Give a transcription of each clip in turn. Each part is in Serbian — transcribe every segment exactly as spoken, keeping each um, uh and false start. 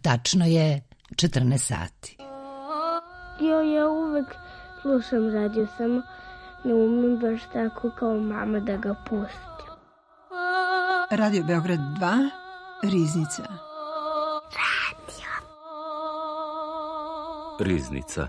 Tačno je četrnaest sati. Jo, ja uvek slušam radio, samo ne umem baš tako kao mama da ga pustim. Radio Beograd dva, Riznica. Radio. Riznica.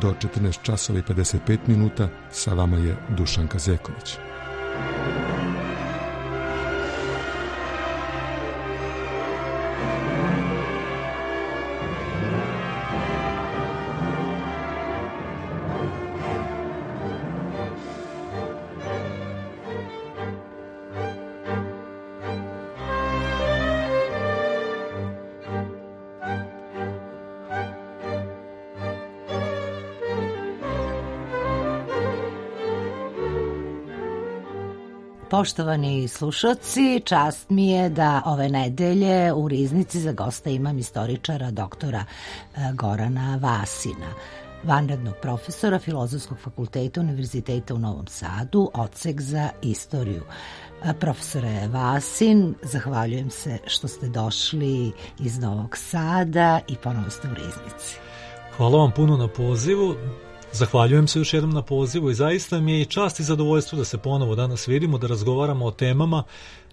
Do četrnaest časova i pedeset pet minuta sa vama je Dušanka Zeković. Poštovani slušaoci, čast mi je da ove nedelje u Riznici za gosta imam istoričara doktora Gorana Vasina, vanrednog profesora Filozofskog fakulteta Univerziteta u Novom Sadu, odsek za istoriju. Profesore Vasin, zahvaljujem se što ste došli iz Novog Sada i ponovo ste u Riznici. Hvala vam puno na pozivu. Zahvaljujem se još jednom na pozivu i zaista mi je i čast i zadovoljstvo da se ponovo danas vidimo, da razgovaramo o temama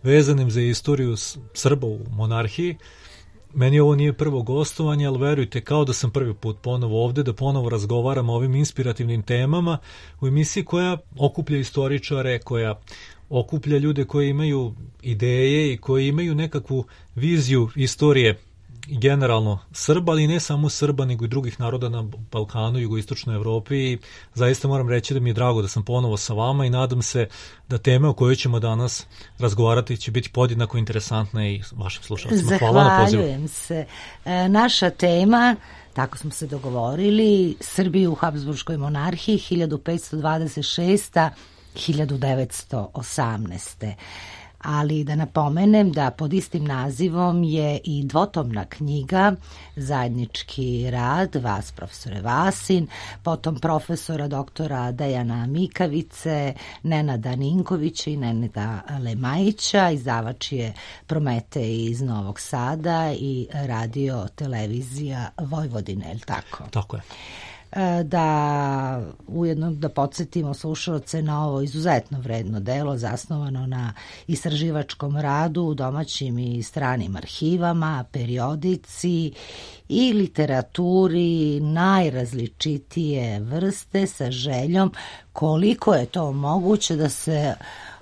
vezanim za istoriju Srba u monarhiji. Meni ovo nije prvo gostovanje, ali verujte, kao da sam prvi put ponovo ovde, da ponovo razgovaram o ovim inspirativnim temama u emisiji koja okuplja istoričare, koja okuplja ljude koji imaju ideje i koji imaju nekakvu viziju istorije generalno Srba, ali ne samo Srba, nego i drugih naroda na Balkanu, jugoistočnoj Evropi. I zaista moram reći da mi je drago da sam ponovo sa vama i nadam se da teme o kojoj ćemo danas razgovarati će biti podjednako interesantne i vašim slušalcima. Hvala na pozivu. Zahvaljujem se. E, naša tema, tako smo se dogovorili, Srbiju u Habsburškoj monarhiji hiljadu petsto dvadeset šesta do hiljadu devetsto osamnaeste. Ali da napomenem da pod istim nazivom je i dvotomna knjiga, zajednički rad vas, profesore Vasin, potom profesora doktora Dejana Mikavice, Nenada Ninkovića i Nenada Lemajića. Izdavač je Prometej iz Novog Sada i radio televizija Vojvodine, je li tako? Tako je. Da ujedno da podsjetimo slušalce na ovo izuzetno vredno delo zasnovano na istraživačkom radu u domaćim i stranim arhivama, periodici i literaturi najrazličitije vrste sa željom koliko je to moguće da se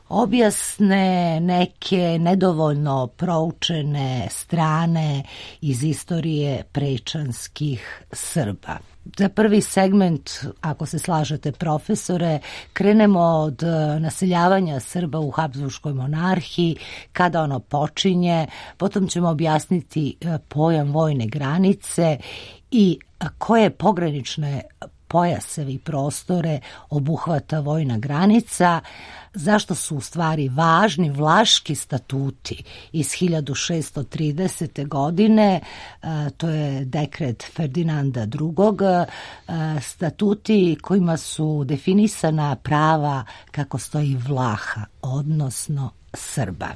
objasne neke nedovoljno proučene strane iz istorije prečanskih Srba. Za prvi segment, ako se slažete profesore, krenemo od naseljavanja Srba u Habsburškoj monarhiji, kada ono počinje, potom ćemo objasniti pojam vojne granice i koje pogranične pojasevi i prostore obuhvata vojna granica, zašto su u stvari važni Vlaški statuti iz hiljadu šeststo tridesete. godine, to je dekret Ferdinanda drugog. statuti kojima su definisana prava kako stoji Vlaha, odnosno Srba.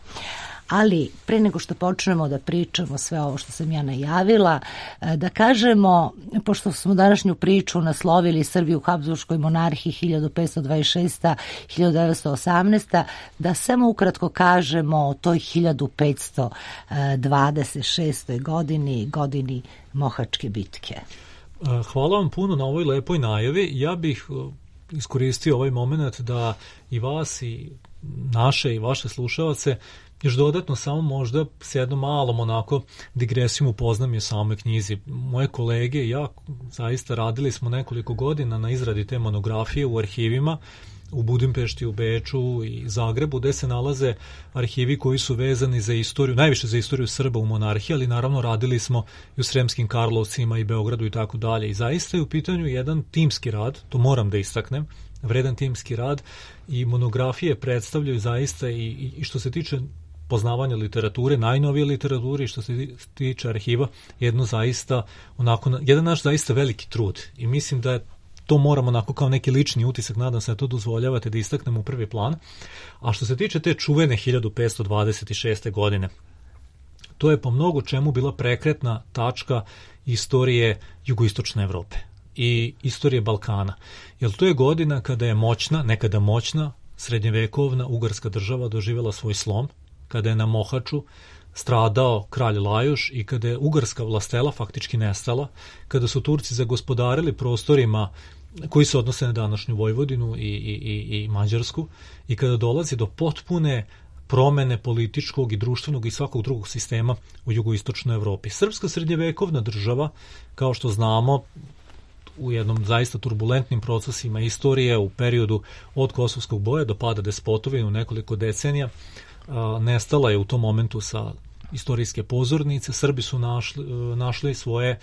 Ali pre nego što počnemo da pričamo sve ovo što sam ja najavila, da kažemo, pošto smo današnju priču naslovili Srbiju u Habsburškoj monarhiji hiljadu petsto dvadeset šesta do hiljadu devetsto osamnaesta. da samo ukratko kažemo o toj hiljadu petsto dvadeset šestoj. godini, godini Mohačke bitke. Hvala vam puno na ovoj lepoj najavi. Ja bih iskoristio ovaj moment da i vas i naše i vaše slušalce još dodatno samo možda s jednom malom onako digresijom upoznam je o samoj knjizi. Moje kolege i ja zaista radili smo nekoliko godina na izradi te monografije u arhivima, u Budimpešti, u Beču i Zagrebu, gde se nalaze arhivi koji su vezani za istoriju, najviše za istoriju Srba u monarhiji, ali naravno radili smo i u Sremskim Karlovcima i Beogradu i tako dalje. I zaista je u pitanju jedan timski rad, to moram da istaknem, vredan timski rad, i monografije predstavljaju zaista i, i što se tiče poznavanja literature, najnovije literature, i što se tiče arhiva, jedno zaista, onako, jedan naš zaista veliki trud. I mislim da je to moramo onako kao neki lični utisak, nadam se da to dozvoljavate da istaknemo u prvi plan. A što se tiče te čuvene hiljadu petsto dvadeset šeste. godine, to je po mnogo čemu bila prekretna tačka istorije jugoistočne Evrope i istorije Balkana. Jer to je godina kada je moćna, nekada moćna, srednjevekovna ugarska država doživjela svoj slom, kada je na Mohaču stradao kralj Lajoš i kada je ugarska vlastela faktički nestala, kada su Turci zagospodarili prostorima koji se odnose na današnju Vojvodinu i, i, i, i Mađarsku, i kada dolazi do potpune promene političkog i društvenog i svakog drugog sistema u jugoistočnoj Evropi. Srpska srednjevekovna država, kao što znamo, u jednom zaista turbulentnim procesima istorije u periodu od Kosovskog boja do pada despotovine u nekoliko decenija, nestala je u tom momentu sa istorijske pozornice. Srbi su našli, našli svoje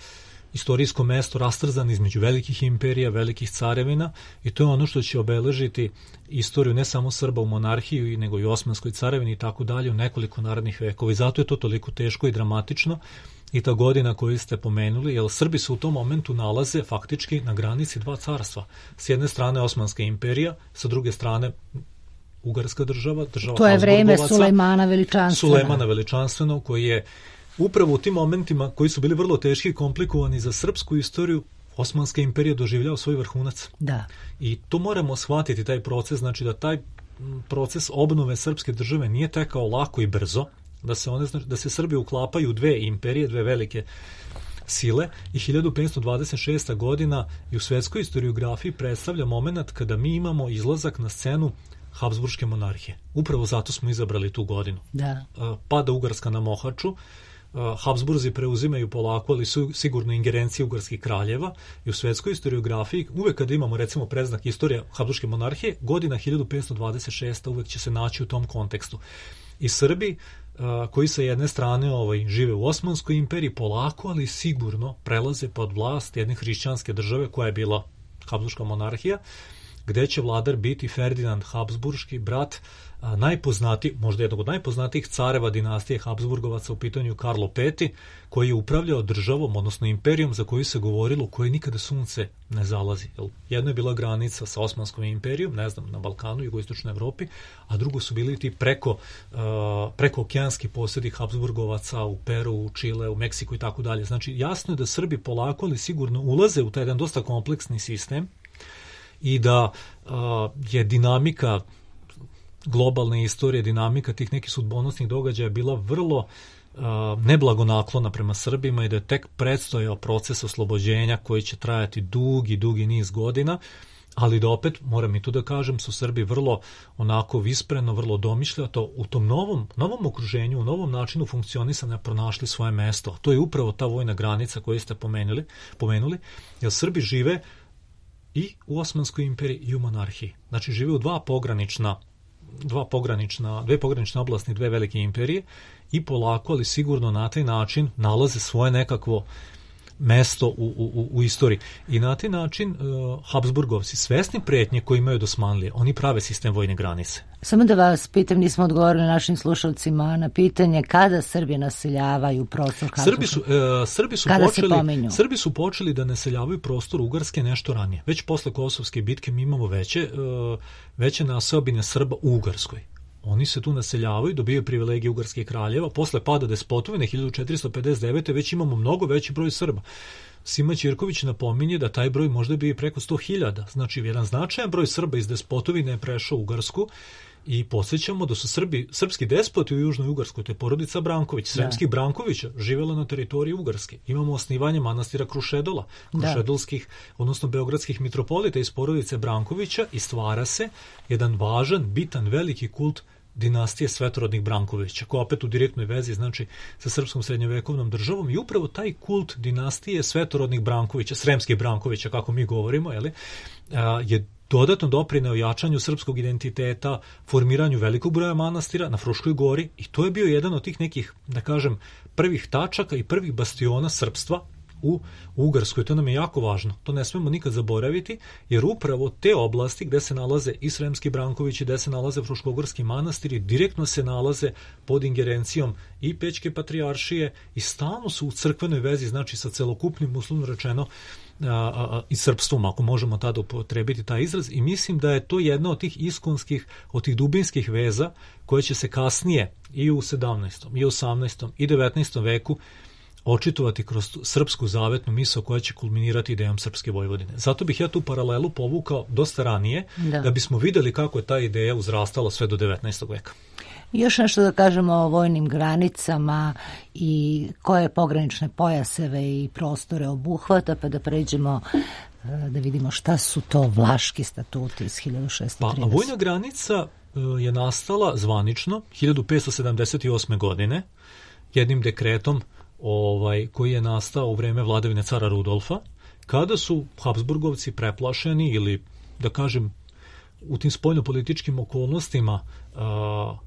istorijsko mesto rastrzano između velikih imperija, velikih carevina, i to je ono što će obeležiti istoriju ne samo Srba u monarhiji, nego i Osmanskoj carevini i tako dalje u nekoliko narednih vekova. I zato je to toliko teško i dramatično i ta godina koju ste pomenuli, jer Srbi se u tom momentu nalaze faktički na granici dva carstva. S jedne strane Osmanska imperija, sa druge strane Ugarska država, država to je vreme Sulejmana Veličanstvenog. Sulejmana Veličanstvenog, koji je upravo u tim momentima koji su bili vrlo teški i komplikovani za srpsku istoriju, Osmanska imperija doživljava svoj vrhunac. Da. I to moramo shvatiti, taj proces, znači da taj proces obnove srpske države nije tekao lako i brzo, da se one, da se Srbi uklapaju u dve imperije, dve velike sile, i hiljadu petsto dvadeset šesta. godina i u svetskoj historiografiji predstavlja moment kada mi imamo izlazak na scenu Habsburške monarhije. Upravo zato smo izabrali tu godinu. Da. Pada Ugarska na Mohaču, Habsburzi preuzimaju polako, ali su sigurno ingerencije ugarskih kraljeva, i u svetskoj historiografiji uvek kada imamo recimo predznak istorija Habsburške monarhije, godina hiljadu petsto dvadeset šesta. uvek će se naći u tom kontekstu. I Srbi koji sa jedne strane ovaj, žive u Osmanskoj imperiji, polako, ali sigurno prelaze pod vlast jedne hrišćanske države koja je bila Habsburška monarhija, gde će vladar biti Ferdinand Habsburški, brat a, najpoznati, možda jednog od najpoznatijih careva dinastije Habsburgovaca, u pitanju Karlo Peti, koji je upravljao državom, odnosno imperijom za koju se govorilo u kojoj nikada sunce ne zalazi. Jedno je bila granica sa Osmanskom imperijom, ne znam, na Balkanu, jugoistočnoj Evropi, a drugo su bili ti preko, uh, preko okeanski posjedi Habsburgovaca u Peru, u Čile, u Meksiku i tako dalje. Znači, jasno je da Srbi polako, ali sigurno ulaze u taj jedan dosta kompleksni sistem, i da uh, je dinamika globalne istorije, dinamika tih nekih sudbonosnih događaja bila vrlo uh, neblagonaklona prema Srbima, i da je tek predstojao proces oslobođenja koji će trajati dugi, dugi niz godina, ali da opet, moram i tu da kažem, su Srbi vrlo onako vispreno, vrlo domišljato u tom novom, novom okruženju, u novom načinu funkcionisanja pronašli svoje mesto. To je upravo ta vojna granica koju ste pomenuli, pomenuli, jer Srbi žive i u Osmanskoj imperiji i u monarhiji. Znači, žive u dva pogranična, dva pogranična, dve pogranične oblasti, dve velike imperije, i polako, ali sigurno na taj način nalaze svoje nekakvo mesto u, u, u istoriji. I na taj način uh, Habsburgovci, svesni pretnje koje imaju od Osmanlije, oni prave sistem vojne granice. Samo da vas pitam, nismo odgovorili našim slušalcima na pitanje kada Srbi naseljavaju prostor Habsburga. Srbi su, uh, Srbi su počeli, Srbi su počeli da naseljavaju prostor Ugarske nešto ranije. Već posle Kosovske bitke mi imamo veće, uh, veće naseobine Srba u Ugarskoj. Oni se tu naseljavaju, dobijaju privilegije ugarskih kraljeva. Posle pada despotovine hiljadu četiristo pedeset devete. već imamo mnogo veći broj Srba. Sima Ćirković napominje da taj broj možda bi preko sto hiljada. Znači, jedan značajan broj Srba iz despotovine je prešao u Ugarsku, i podsjećamo da su Srbi, srpski despoti u Južnoj Ugarskoj, to je porodica Branković, sremskih da. Brankovića, živjela na teritoriji Ugarske. Imamo osnivanje manastira Krušedola, krušedolskih, da. odnosno beogradskih mitropolita iz porodice Brankovića, i stvara se jedan važan, bitan, veliki kult dinastije svetorodnih Brankovića, koja opet u direktnoj vezi, znači, sa srpskom srednjovekovnom državom, i upravo taj kult dinastije svetorodnih Brankovića, sremskih Brankovića, kako mi govorimo, jeli, je dodatno doprineo jačanju srpskog identiteta, formiranju velikog broja manastira na Fruškoj gori i to je bio jedan od tih nekih, da kažem, prvih tačaka i prvih bastiona srpstva u Ugarskoj. To nam je jako važno. To ne smemo nikad zaboraviti, jer upravo te oblasti gde se nalaze i Sremski Brankovići, gde se nalaze Fruškogorski manastiri, direktno se nalaze pod ingerencijom i Pećke patrijaršije i stalno su u crkvenoj vezi, znači sa celokupnim, uslovno rečeno, a, a, i srpstvom, ako možemo tada upotrebiti taj izraz, i mislim da je to jedna od tih iskonskih, od tih dubinskih veza koje će se kasnije i u sedamnaestom, i osamnaestom, i devetnaestom veku očitovati kroz srpsku zavetnu misao koja će kulminirati idejom Srpske Vojvodine. Zato bih ja tu paralelu povukao dosta ranije, da, da bismo videli kako je ta ideja uzrastala sve do devetnaestog veka. Još nešto da kažemo o vojnim granicama i koje pogranične pojaseve i prostore obuhvata, pa da pređemo da vidimo šta su to Vlaški statuti iz hiljadu šeststo trideset. Pa, vojna granica je nastala zvanično hiljadu petsto sedamdeset osme. godine jednim dekretom ovaj, koji je nastao u vreme vladavine cara Rudolfa, kada su Habsburgovci preplašeni ili, da kažem, u tim spoljnopolitičkim okolnostima a,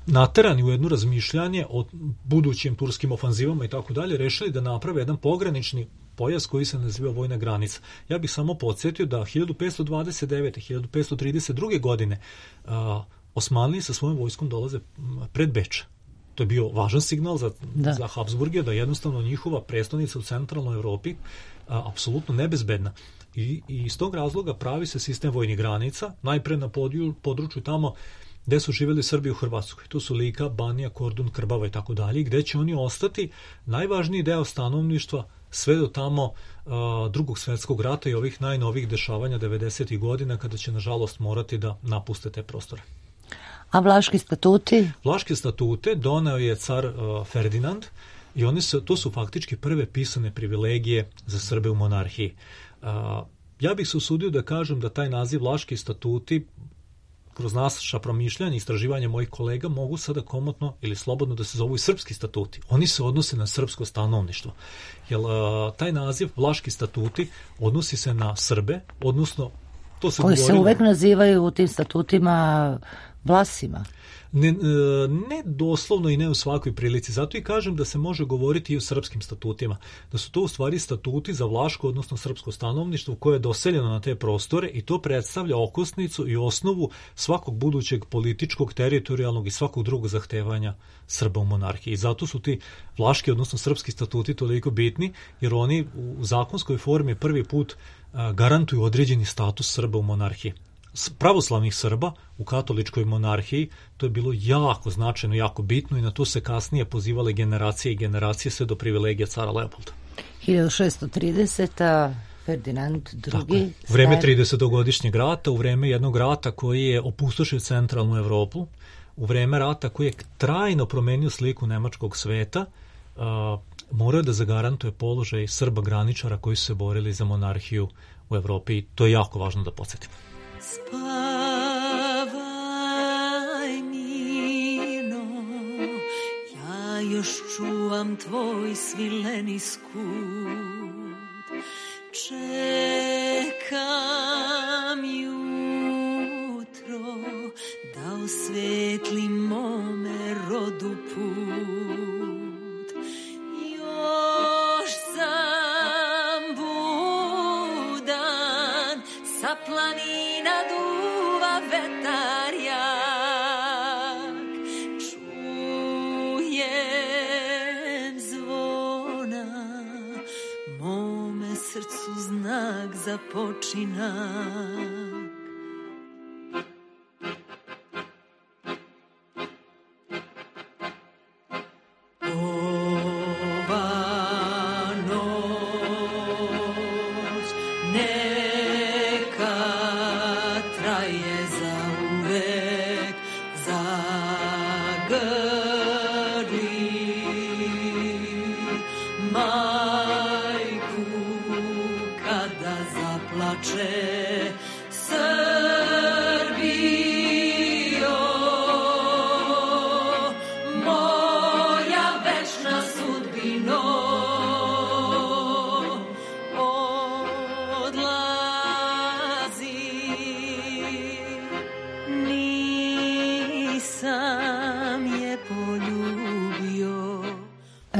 naterani u jedno razmišljanje o budućim turskim ofanzivama i tako dalje, rešili da naprave jedan pogranični pojas koji se naziva vojna granica. Ja bih samo podsjetio da hiljadu petsto dvadeset devete. hiljadu petsto trideset druge. godine a, Osmanliji sa svojom vojskom dolaze pred Beč. To je bio važan signal za, za Habsburge da jednostavno njihova prestonica u centralnoj Evropi a, apsolutno nebezbedna. I, I iz tog razloga pravi se sistem vojnih granica, najpre na podju, području tamo gde su živjeli Srbi u Hrvatskoj. To su Lika, Banija, Kordun, Krbava i tako dalje, gde će oni ostati najvažniji deo stanovništva sve do tamo uh, drugog svjetskog rata i ovih najnovih dešavanja devedesetih godina, kada će nažalost morati da napuste te prostore. A Vlaški statuti? Vlaške statute doneo je car uh, Ferdinand i oni su, to su faktički prve pisane privilegije za Srbe u monarhiji. Uh, ja bih se usudio da kažem da taj naziv Vlaški statuti kroz naša promišljanja i istraživanja mojih kolega mogu sada komotno ili slobodno da se zovu i srpski statuti. Oni se odnose na srpsko stanovništvo. Jer uh, taj naziv Vlaški statuti odnosi se na Srbe, odnosno to se koji govorilo, se uvek nazivaju u tim statutima Vlasima. Ne, ne doslovno i ne u svakoj prilici. Zato i kažem da se može govoriti i o srpskim statutima. Da su to u stvari statuti za vlaško, odnosno srpsko stanovništvo koje je doseljeno na te prostore i to predstavlja okosnicu i osnovu svakog budućeg političkog, teritorijalnog i svakog drugog zahtevanja Srba u monarhiji. I zato su ti vlaški, odnosno srpski statuti toliko bitni, jer oni u zakonskoj formi prvi put garantuju određeni status Srba u monarhiji. Pravoslavnih Srba u katoličkoj monarhiji, to je bilo jako značajno, jako bitno i na to se kasnije pozivale generacije i generacije sve do privilegija cara Leopolda. hiljadu šeststo trideseta. Ferdinand drugi. U vreme tridesetogodišnjeg rata, u vreme jednog rata koji je opustošio centralnu Evropu, u vreme rata koji je trajno promenio sliku nemačkog sveta, uh, morao da zagarantuje položaj Srba graničara koji su se borili za monarhiju u Evropi i to je jako važno da podsjetimo. Spavaj mirno, ja još čuvam tvoj svileni skut, čekam jutro da osvetli mome rodu put, još sam budan sa planina duva vetar jak, čujem zvona, mome srcu znak za počinak. Odlazi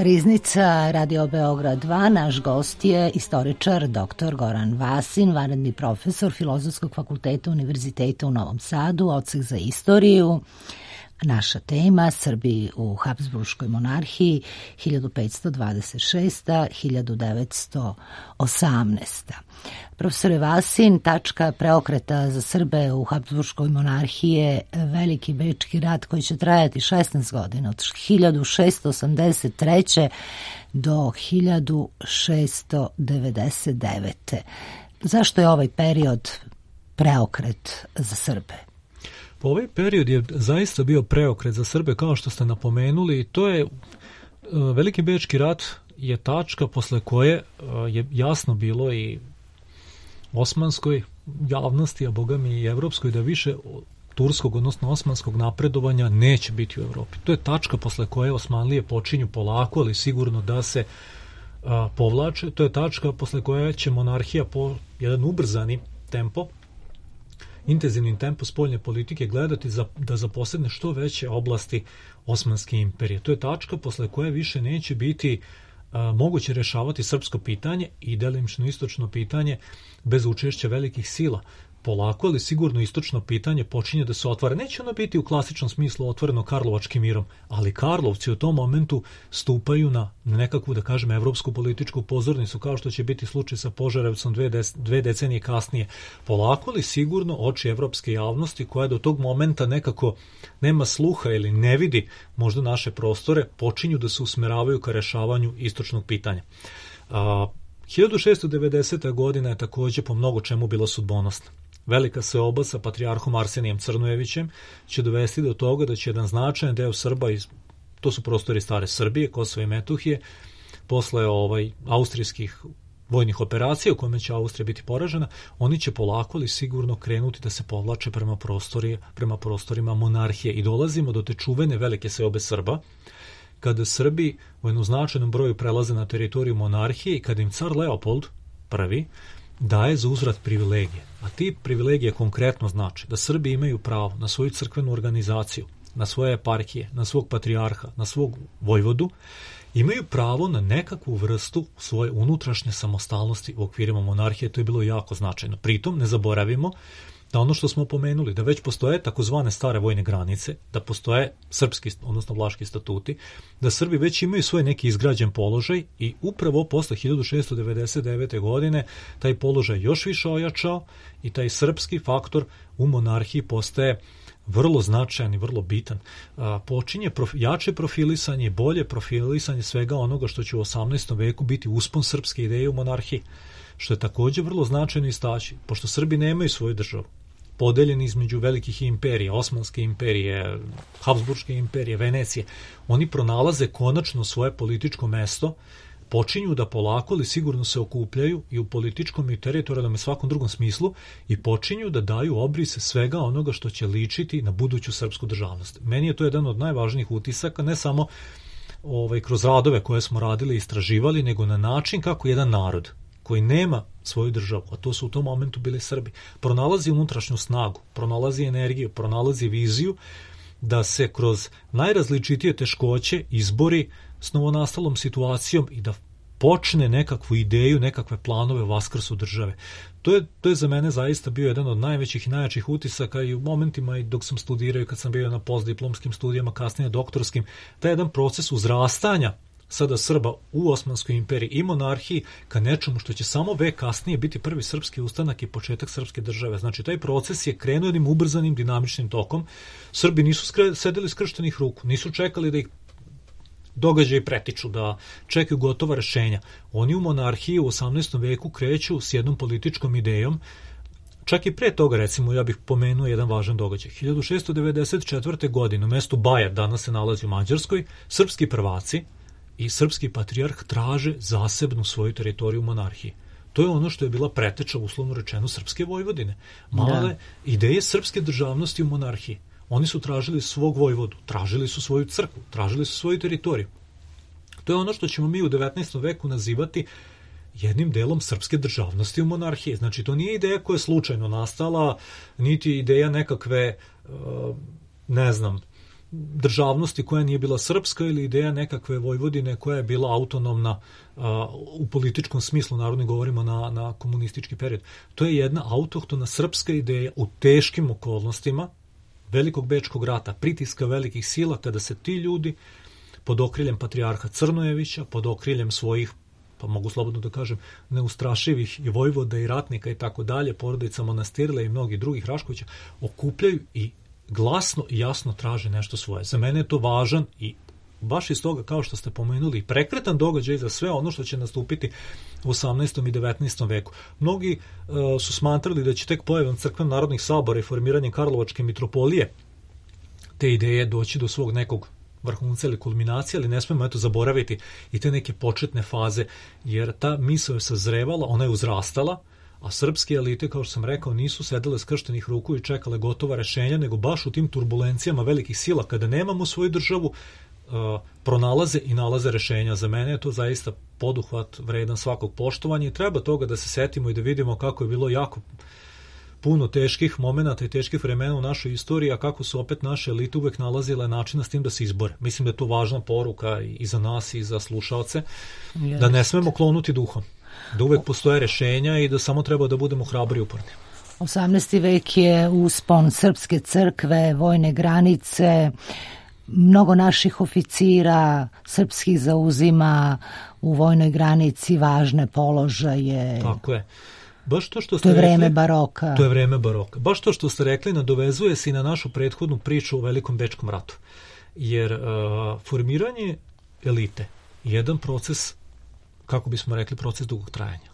Riznica Radio Beograd dva, naš gost je istoričar doktor Goran Vasin, vanredni profesor Filozofskog fakulteta Univerziteta u Novom Sadu, odsek za istoriju. Naša tema Srbi u Habsburškoj monarhiji hiljadu petsto dvadeset šesta do hiljadu devetsto osamnaesta. Profesore Vasin, tačka preokreta za Srbe u Habsburškoj monarhiji je Veliki bečki rat koji će trajati šesnaest godina, od hiljadu šesto osamdeset treće do hiljadu šesto devedeset devete. Zašto je ovaj period preokret za Srbe? Pa ovaj period je zaista bio preokret za Srbe, kao što ste napomenuli. To je, Veliki bečki rat je tačka posle koje je jasno bilo i osmanskoj javnosti, a boga mi i evropskoj, da više turskog, odnosno osmanskog napredovanja neće biti u Evropi. To je tačka posle koje Osmanlije počinju polako, ali sigurno da se a, povlače. To je tačka posle koje će monarhija po jedan ubrzani tempo, intenzivnim tempo spoljne politike gledati za, da zaposedne što veće oblasti Osmanske imperije. To je tačka posle koje više neće biti a, moguće rešavati srpsko pitanje i delimično istočno pitanje bez učešća velikih sila. Polako, ali sigurno istočno pitanje počinje da se otvara. Neće ono biti u klasičnom smislu otvoreno Karlovačkim mirom, ali Karlovci u tom momentu stupaju na nekakvu, da kažem, evropsku političku pozornicu, kao što će biti slučaj sa Požarevcom dve, des, dve decenije kasnije. Polako, ali sigurno oči evropske javnosti, koja do tog momenta nekako nema sluha ili ne vidi možda naše prostore, počinju da se usmeravaju ka rešavanju istočnog pitanja. A, hiljadu šesto devedeseta godina je takođe po mnogo čemu bila sudbonosna. Velika seoba sa patrijarhom Arsenijem Crnojevićem će dovesti do toga da će jedan značajan deo Srba, iz, to su prostori stare Srbije, Kosova i Metohije, posle ovaj, austrijskih vojnih operacija u kojima će Austrija biti poražena, oni će polako ali sigurno krenuti da se povlače prema, prostori, prema prostorima monarhije i dolazimo do te čuvene velike seobe Srba, kada Srbi u jednom značajnom broju prelaze na teritoriju monarhije i kada im car Leopold prvi daje za uzvrat privilegije. A ti privilegije konkretno znači da Srbi imaju pravo na svoju crkvenu organizaciju, na svoje eparhije, na svog patrijarha, na svog vojvodu, imaju pravo na nekakvu vrstu svoje unutrašnje samostalnosti u okvirima monarhije. To je bilo jako značajno. Pritom ne zaboravimo da ono što smo pomenuli, da već postoje takozvane stare vojne granice, da postoje srpski, odnosno vlaški statuti, da Srbi već imaju svoj neki izgrađen položaj i upravo posle hiljadu šesto devedeset devete. godine taj položaj još više ojačao i taj srpski faktor u monarhiji postaje vrlo značajan i vrlo bitan. A, počinje prof, jače profilisanje, bolje profilisanje svega onoga što će u osamnaestom veku biti uspon srpske ideje u monarhiji, što je takođe vrlo značajno istaći, pošto Srbi nemaju svoju državu, podeljeni između velikih imperija, Osmanske imperije, Habsburške imperije, Venecije, oni pronalaze konačno svoje političko mesto, počinju da polako ali sigurno se okupljaju i u političkom i teritorijalnom i svakom drugom smislu i počinju da daju obrise svega onoga što će ličiti na buduću srpsku državnost. Meni je to jedan od najvažnijih utisaka, ne samo ovaj, kroz radove koje smo radili i istraživali, nego na način kako jedan narod koji nema svoju državu, a to su u tom momentu bili Srbi, pronalazi unutrašnju snagu, pronalazi energiju, pronalazi viziju da se kroz najrazličitije teškoće izbori s novonastalom situacijom i da počne nekakvu ideju, nekakve planove vaskrsu države. To je, to je za mene zaista bio jedan od najvećih i najjačih utisaka i u momentima i dok sam studirao i kad sam bio na postdiplomskim studijama, kasnije doktorskim, taj jedan proces uzrastanja sada Srba u Osmanskoj imperiji i monarhiji ka nečemu što će samo vek kasnije biti prvi srpski ustanak i početak srpske države. Znači, taj proces je krenuo jednim ubrzanim dinamičnim tokom. Srbi nisu skre, sedeli skrštenih ruku, nisu čekali da ih događaji pretiču, da čekaju gotova rešenja. Oni u monarhiji u osamnaestom veku kreću s jednom političkom idejom. Čak i pre toga, recimo, ja bih pomenuo jedan važan događaj. hiljadu šesto devedeset četvrte. godine u mestu Bajer, danas se nalazi u Mađarskoj, srpski prvaci i srpski patrijarh traže zasebnu svoju teritoriju u monarhiji. To je ono što je bila preteča, uslovno rečeno, srpske Vojvodine. Male da. ideje srpske državnosti u monarhiji. Oni su tražili svog vojvodu, tražili su svoju crkvu, tražili su svoju teritoriju. To je ono što ćemo mi u devetnaestom veku nazivati jednim delom srpske državnosti u monarhiji. Znači, to nije ideja koja je slučajno nastala, niti ideja nekakve, ne znam, državnosti koja nije bila srpska ili ideja nekakve Vojvodine koja je bila autonomna a, u političkom smislu, naravno govorimo na, na komunistički period. To je jedna autohtona srpska ideja u teškim okolnostima Velikog bečkog rata, pritiska velikih sila, kada se ti ljudi pod okriljem patrijarha Crnojevića, pod okriljem svojih, pa mogu slobodno da kažem, neustrašivih i vojvoda i ratnika i tako dalje, porodica Monastirle i mnogi drugih Raškovića, okupljaju i glasno i jasno traže nešto svoje. Za mene je to važan i baš iz toga, kao što ste pomenuli, prekretan događaj za sve ono što će nastupiti u osamnaestom i devetnaestom veku. Mnogi uh, su smatrali da će tek pojavom crkvenog narodnih sabora i formiranjem Karlovačke mitropolije te ideje doći do svog nekog vrhunca ili kulminacije, ali ne smemo eto zaboraviti i te neke početne faze, jer ta misao je sazrevala, ona je uzrastala, a srpske elite, kao što sam rekao, nisu sedele skrštenih ruku i čekale gotova rešenja, nego baš u tim turbulencijama velikih sila, kada nemamo svoju državu, uh, pronalaze i nalaze rešenja. Za mene je to zaista poduhvat vredan svakog poštovanja i treba toga da se setimo i da vidimo kako je bilo jako puno teških momenata i teških vremena u našoj istoriji, a kako su opet naše elite uvek nalazile načina s tim da se izbore. Mislim da je to važna poruka i za nas i za slušaoce, da ne smemo klonuti duhom, da uvek postoje rešenja i da samo treba da budemo hrabri i uporni. osamnaesti vek je uspon srpske crkve, vojne granice, mnogo naših oficira srpskih zauzima u vojnoj granici važne položaje. Tako je. Baš to što ste to je vreme rekli, baroka. To je vreme baroka. Baš to što ste rekli nadovezuje se i na našu prethodnu priču o Velikom bečkom ratu. Jer uh, formiranje elite je jedan proces, kako bismo rekli, proces dugog trajanja.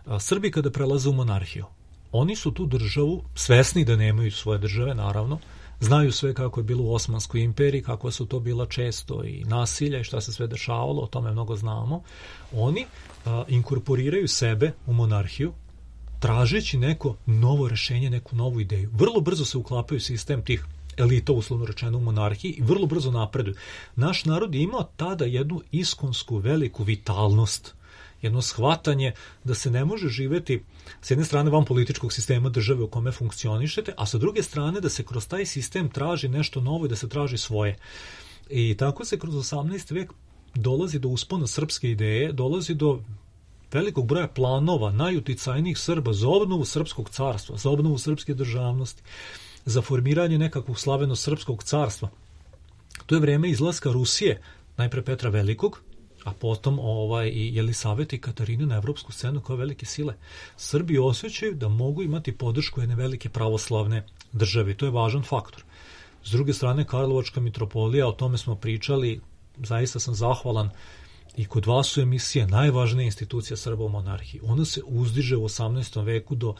Uh, Srbi kada prelaze u monarhiju, oni su tu državu, svesni da nemaju svoje države, naravno, znaju sve kako je bilo u Osmanskoj imperiji, kako su to bila često i nasilja i šta se sve dešavalo, o tome mnogo znamo. Oni uh, inkorporiraju sebe u monarhiju, tražeći neko novo rešenje, neku novu ideju. Vrlo brzo se uklapaju sistem tih elita, uslovno rečeno, u monarhiji i vrlo brzo napreduju. Naš narod je imao tada jednu iskonsku veliku vitalnost, jedno shvatanje da se ne može živeti s jedne strane van političkog sistema države u kome funkcionišete, a sa druge strane da se kroz taj sistem traži nešto novo i da se traži svoje. I tako se kroz osamnaesti vek dolazi do uspona srpske ideje, dolazi do velikog broja planova najuticajnijih Srba za obnovu srpskog carstva, za obnovu srpske državnosti, za formiranje nekakvog slaveno srpskog carstva. To je vreme izlaska Rusije, najpre Petra Velikog, a potom ovaj, i Jelisavete i Katarine na evropsku scenu kao velike sile. Srbi osjećaju da mogu imati podršku jedne velike pravoslavne države. To je važan faktor. S druge strane, Karlovačka mitropolija, o tome smo pričali, zaista sam zahvalan. I kod vas su emisije najvažnija institucija Srba u monarhiji. Ona se uzdiže u osamnaestom veku do,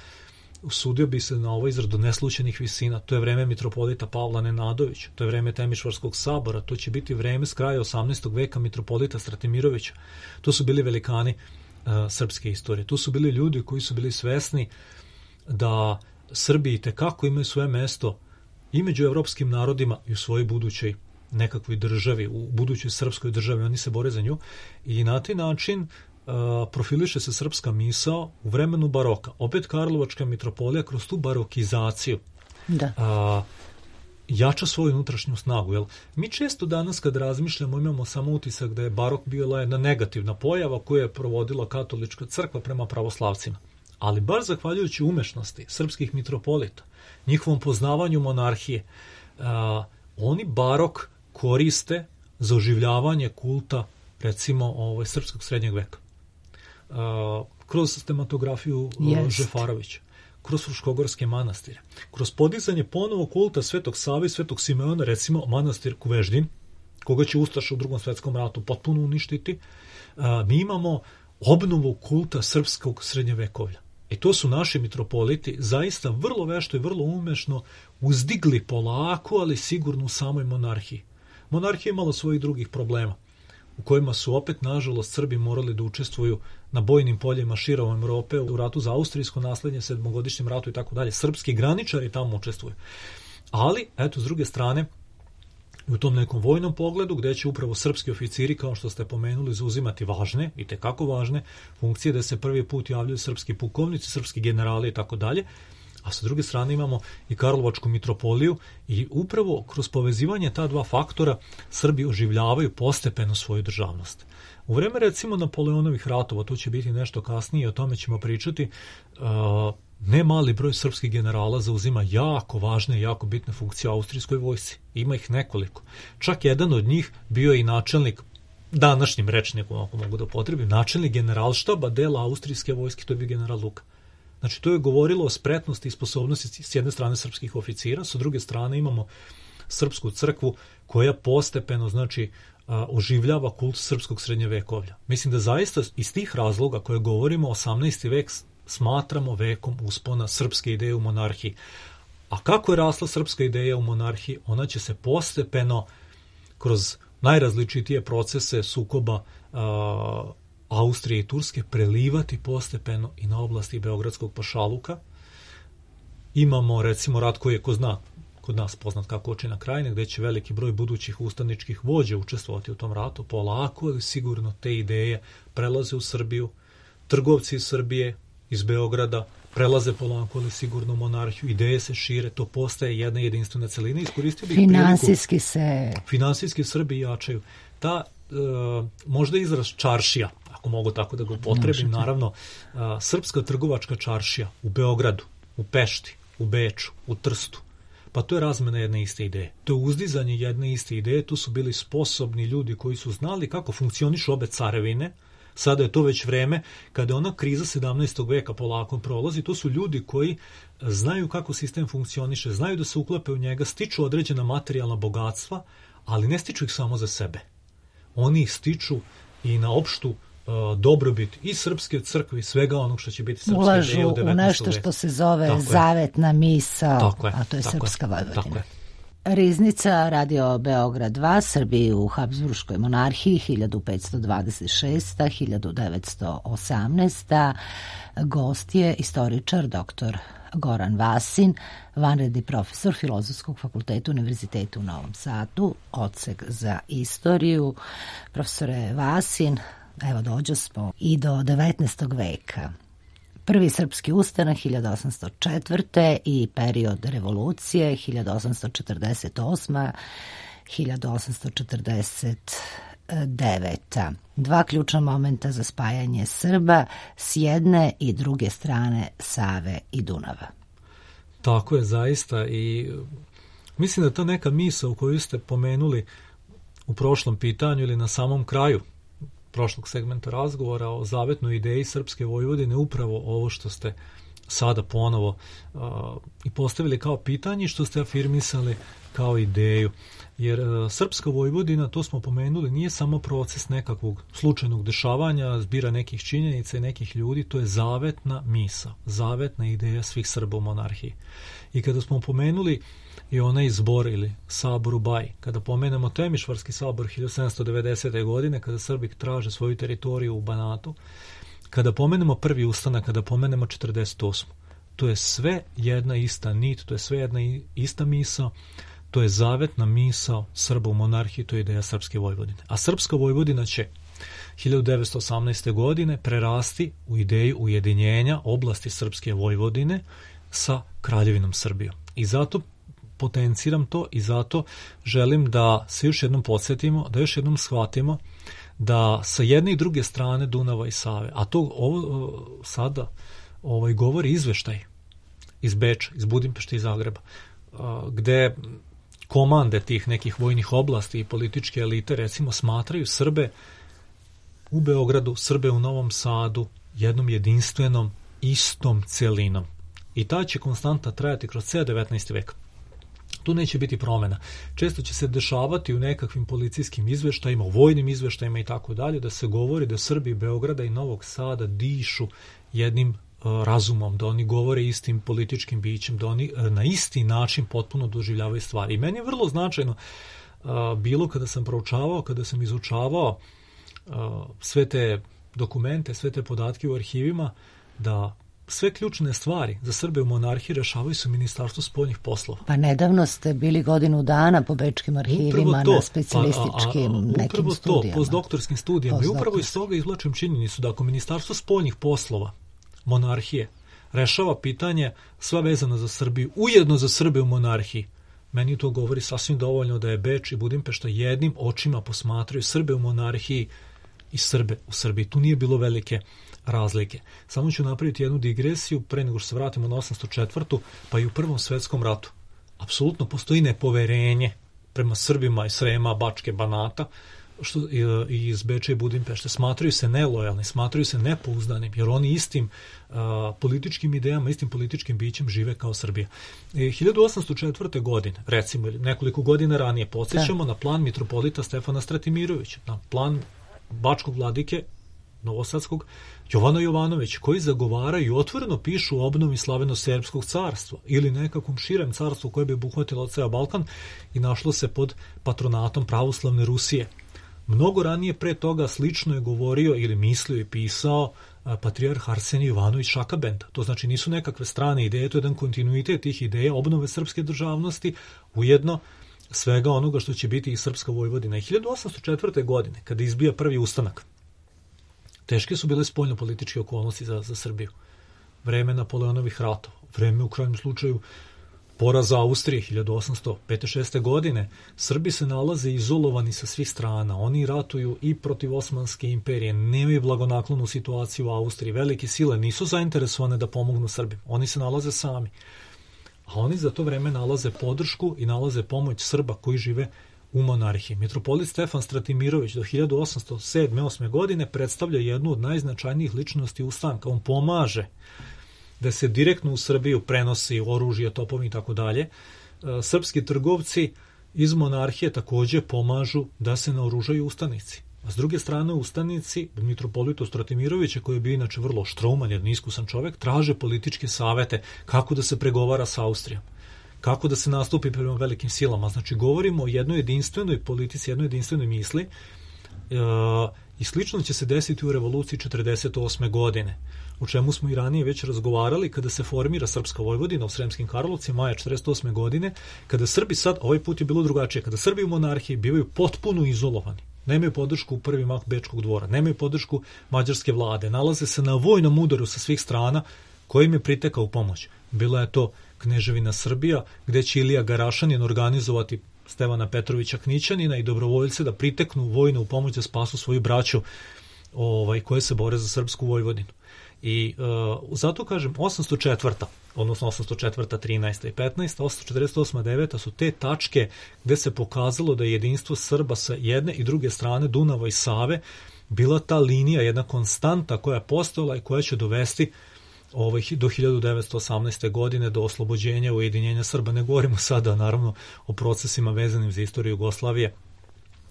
usudio bi se na ovaj izraz, do neslućenih visina. To je vreme mitropolita Pavla Nenadovića, to je vreme Temišvarskog sabora, to će biti vreme s kraja osamnaestog veka mitropolita Stratimirovića. To su bili velikani uh, srpske istorije. To su bili ljudi koji su bili svesni da Srbi itekako imaju svoje mesto i među evropskim narodima i u svojoj budućoj nekakvoj državi, u budućoj srpskoj državi, oni se bore za nju i na taj način uh, profiliše se srpska misao u vremenu baroka. Opet Karlovačka mitropolija kroz tu barokizaciju da. Uh, jača svoju unutrašnju snagu. Jel? Mi često danas kad razmišljamo imamo samo utisak da je barok bila jedna negativna pojava koju je provodila katolička crkva prema pravoslavcima. Ali baš zahvaljujući umešnosti srpskih mitropolita, njihovom poznavanju monarhije, uh, oni barok koriste za oživljavanje kulta, recimo, ovaj, srpskog srednjeg veka. Uh, kroz sistematografiju uh, Žefarovića, kroz Fruškogorske manastire, kroz podizanje ponovo kulta Svetog Save i Svetog Simeona, recimo manastir Kuveždin, koga će Ustaša u Drugom svetskom ratu potpuno uništiti, uh, mi imamo obnovu kulta srpskog srednjevekovlja. I to su naši mitropoliti zaista vrlo vešto i vrlo umešno uzdigli polako, ali sigurno u samoj monarhiji. Monarhija imala svojih drugih problema, u kojima su opet, nažalost, Srbi morali da učestvuju na bojnim poljima širom Evrope, u ratu za austrijsko naslednje, sedmogodišnjem ratu i tako dalje. Srpski graničari tamo učestvuju. Ali, eto, s druge strane, u tom nekom vojnom pogledu, gde će upravo srpski oficiri, kao što ste pomenuli, zauzimati važne, i tekako važne, funkcije, da se prvi put javljaju srpski pukovnici, srpski generali i tako dalje, a sa druge strane imamo i Karlovačku mitropoliju i upravo kroz povezivanje ta dva faktora Srbi oživljavaju postepeno svoju državnost. U vreme recimo Napoleonovih ratova, to će biti nešto kasnije, o tome ćemo pričati, ne mali broj srpskih generala zauzima jako važne i jako bitne funkcije u austrijskoj vojsci. Ima ih nekoliko. Čak jedan od njih bio je i načelnik, današnjim rečnikom, ako mogu da potrebim, načelnik generalštaba dela austrijske vojske, to je bio general Luka. Znači, to je govorilo o spretnosti i sposobnosti s jedne strane srpskih oficira, s druge strane imamo srpsku crkvu koja postepeno, znači, oživljava kult srpskog srednjevekovlja. Mislim da zaista iz tih razloga koje govorimo, osamnaesti vek smatramo vekom uspona srpske ideje u monarhiji. A kako je rasla srpska ideja u monarhiji? Ona će se postepeno kroz najrazličitije procese sukoba a, Austrije i Turske prelivati postepeno i na oblasti Beogradskog pašaluka. Imamo recimo rat koji je, ko zna, kod nas poznat kako Očina krajine, gde će veliki broj budućih ustaničkih vođa učestvovati u tom ratu. Polako, ali sigurno te ideje prelaze u Srbiju. Trgovci iz Srbije, iz Beograda, prelaze polako, ali sigurno u monarhiju. Ideje se šire, to postaje jedna jedinstvena celina. Iskoristio bih Finansijski priliku, se... Finansijski Srbi jačaju. Ta, e, možda izraz čaršija, ako mogu tako da ga upotrebim, naravno, a, srpska trgovačka čaršija u Beogradu, u Pešti, u Beču, u Trstu, pa to je razmena jedne iste ideje. To je uzdizanje jedne iste ideje, tu su bili sposobni ljudi koji su znali kako funkcionišu obe carevine. Sada je to već vreme kada je ona kriza sedamnaestog veka polako prolazi, to su ljudi koji znaju kako sistem funkcioniše, znaju da se uklope u njega, stiču određena materijalna bogatstva, ali ne stiču ih samo za sebe. Oni ih stiču i na opštu uh, dobrobit i srpske crkve i svega onog što će biti srpska ulažu ideja u devetnaestom u nešto veku. što se zove tako zavetna misa, tako je, a to je tako srpska je, Vojvodina. tako je. Riznica, Radio Beograd dva, Srbiji u Habsburškoj monarhiji hiljadu petsto dvadeset šesta do hiljadu devetsto osamnaesta. Gost je istoričar doktor Goran Vasin, vanredni profesor Filozofskog fakulteta Univerziteta u Novom Sadu, odsek za istoriju. Profesore Vasin, evo dođo smo i do devetnaestog veka. Prvi srpski ustanak hiljadu osamsto četvrte. i period revolucije hiljadu osamsto četrdeset osma do hiljadu osamsto četrdeset deveta. Dva ključna momenta za spajanje Srba s jedne i druge strane Save i Dunava. Tako je zaista i mislim da ta neka misa u koju ste pomenuli u prošlom pitanju ili na samom kraju prošlog segmenta razgovora o zavetnoj ideji Srpske Vojvodine, upravo ovo što ste sada ponovo uh, i postavili kao pitanje, što ste afirmisali kao ideju. Jer uh, Srpska Vojvodina, to smo pomenuli, nije samo proces nekakvog slučajnog dešavanja, zbira nekih činjenica i nekih ljudi, to je zavetna misa, zavetna ideja svih Srba u monarhiji. I kada smo pomenuli i onaj zbor ili sabor u Baji, kada pomenemo Temišvarski sabor hiljadu sedamsto devedesete. godine, kada Srbi traže svoju teritoriju u Banatu, kada pomenemo prvi ustanak, kada pomenemo četrdeset osmu. To je sve jedna ista nit, to je sve jedna ista misa, to je zavetna misa Srba u monarhiji, to je ideja Srpske Vojvodine. A Srpska Vojvodina će hiljadu devetsto osamnaeste. godine prerasti u ideju ujedinjenja oblasti Srpske Vojvodine sa Kraljevinom Srbijom. I zato potenciram to i zato želim da se još jednom podsjetimo, da još jednom shvatimo da sa jedne i druge strane Dunava i Save, a to ovo, sada ovaj, govori izveštaj iz Beča, iz Budimpešte i Zagreba, gde komande tih nekih vojnih oblasti i političke elite recimo smatraju Srbe u Beogradu, Srbe u Novom Sadu jednom jedinstvenom, istom celinom. I ta će konstanta trajati kroz ceo devetnaesti vek. Tu neće biti promjena. Često će se dešavati u nekakvim policijskim izveštajima, u vojnim izveštajima i tako dalje, da se govori da Srbi Beograda i Novog Sada dišu jednim uh, razumom, da oni govore istim političkim bićem, da oni uh, na isti način potpuno doživljavaju stvari. I meni je vrlo značajno uh, bilo kada sam proučavao, kada sam izučavao uh, sve te dokumente, sve te podatke u arhivima, da sve ključne stvari za Srbe u monarhiji rešavaju se u Ministarstvu spoljnih poslova. Pa nedavno ste bili godinu dana po bečkim arhivima to, na specijalističkim pa, a, a, nekim upravo studijama. To, postdoktorskim studijama. I upravo iz toga izvlačim činjenicu da ako Ministarstvo spoljnih poslova monarhije rešava pitanje sva vezana za Srbiju, ujedno za Srbe u monarhiji. Meni to govori sasvim dovoljno da je Beč i Budimpešta jednim očima posmatraju Srbe u monarhiji i Srbe u Srbiji. Tu nije bilo velike razlike. Samo ću napraviti jednu digresiju pre nego što se vratimo na osamsto četvrtu. pa i u Prvom svetskom ratu. Apsolutno postoji nepoverenje prema Srbima iz Srema, Bačke, Banata, što iz Beča i Budimpešte. Smatraju se nelojalni, smatraju se nepouzdanim, jer oni istim a, političkim idejama, istim političkim bićem žive kao Srbija. E, hiljadu osamsto četvrte. godine, recimo, nekoliko godina ranije, podsjećamo da. na plan mitropolita Stefana Stratimirovića, na plan bačkog vladike novosadskog Jovana Jovanovića, koji zagovaraju i otvoreno pišu o obnovi slaveno-serbskog carstva ili nekakvom širem carstvu koje bi obuhvatilo ceo Balkan i našlo se pod patronatom pravoslavne Rusije. Mnogo ranije pre toga slično je govorio ili mislio i pisao patrijarh Arsenij Ivanović Šakabenda. To znači nisu nekakve strane ideje, to je jedan kontinuitet tih ideja obnove srpske državnosti, ujedno svega onoga što će biti i srpska Vojvodina. I hiljadu osamsto četvrte. godine, kada izbija prvi ustanak, teške su bile spoljno-političke okolnosti za, za Srbiju. Vreme Napoleonovih ratova, vreme u krajnjem slučaju poraza Austrije hiljadu osamsto pete šeste. godine, Srbi se nalaze izolovani sa svih strana. Oni ratuju i protiv Osmanske imperije, nemaju blagonaklonu situaciju u Austriji. Velike sile nisu zainteresovane da pomognu Srbima. Oni se nalaze sami. A oni za to vreme nalaze podršku i nalaze pomoć Srba koji žive u monarhiji. Mitropolit Stefan Stratimirović do hiljadu osamsto sedme osme. godine predstavlja jednu od najznačajnijih ličnosti ustanka. On pomaže da se direktno u Srbiju prenosi oružje, topovi i tako dalje. Srpski trgovci iz monarhije takođe pomažu da se naoružaju ustanici. A s druge strane, ustanici, mitropolitu Stratimirovića, koji je bio inače vrlo štrouman, jer niskusan čovek, traže političke savete kako da se pregovara sa Austrijom, kako da se nastupi prema velikim silama. Znači, govorimo o jednoj jedinstvenoj politici, jednoj jedinstvenoj misli e, i slično će se desiti u revoluciji četrdeset osme. godine, o čemu smo i ranije već razgovarali kada se formira Srpska Vojvodina u Sremskim Karlovcima maja četrdeset osme. godine, kada Srbi sad, ovaj put je bilo drugačije, kada Srbi u monarhiji bivaju potpuno izolovani. Nemaju podršku u prvi mah Bečkog dvora, nemaju podršku mađarske vlade, nalaze se na vojnom udaru sa svih strana kojim je pritekao u pomoć. Bila je to Kneževina Srbija, gde će Ilija Garašanin organizovati Stevana Petrovića Knićanina i dobrovoljce da priteknu vojno u pomoć da spasu svoju braću ovaj, koje se bore za Srpsku Vojvodinu. I uh, zato kažem, osamsto četvrta. odnosno osamsto četvrta. trinaesta. i petnaesta. osamsto četrdeset osma. deveta. su te tačke gde se pokazalo da je jedinstvo Srba sa jedne i druge strane Dunava i Save bila ta linija, jedna konstanta koja je postojala i koja će dovesti ovaj, do hiljadu devetsto osamnaeste. godine do oslobođenja, ujedinjenja Srba. Ne govorimo sada naravno o procesima vezanim za istoriju Jugoslavije,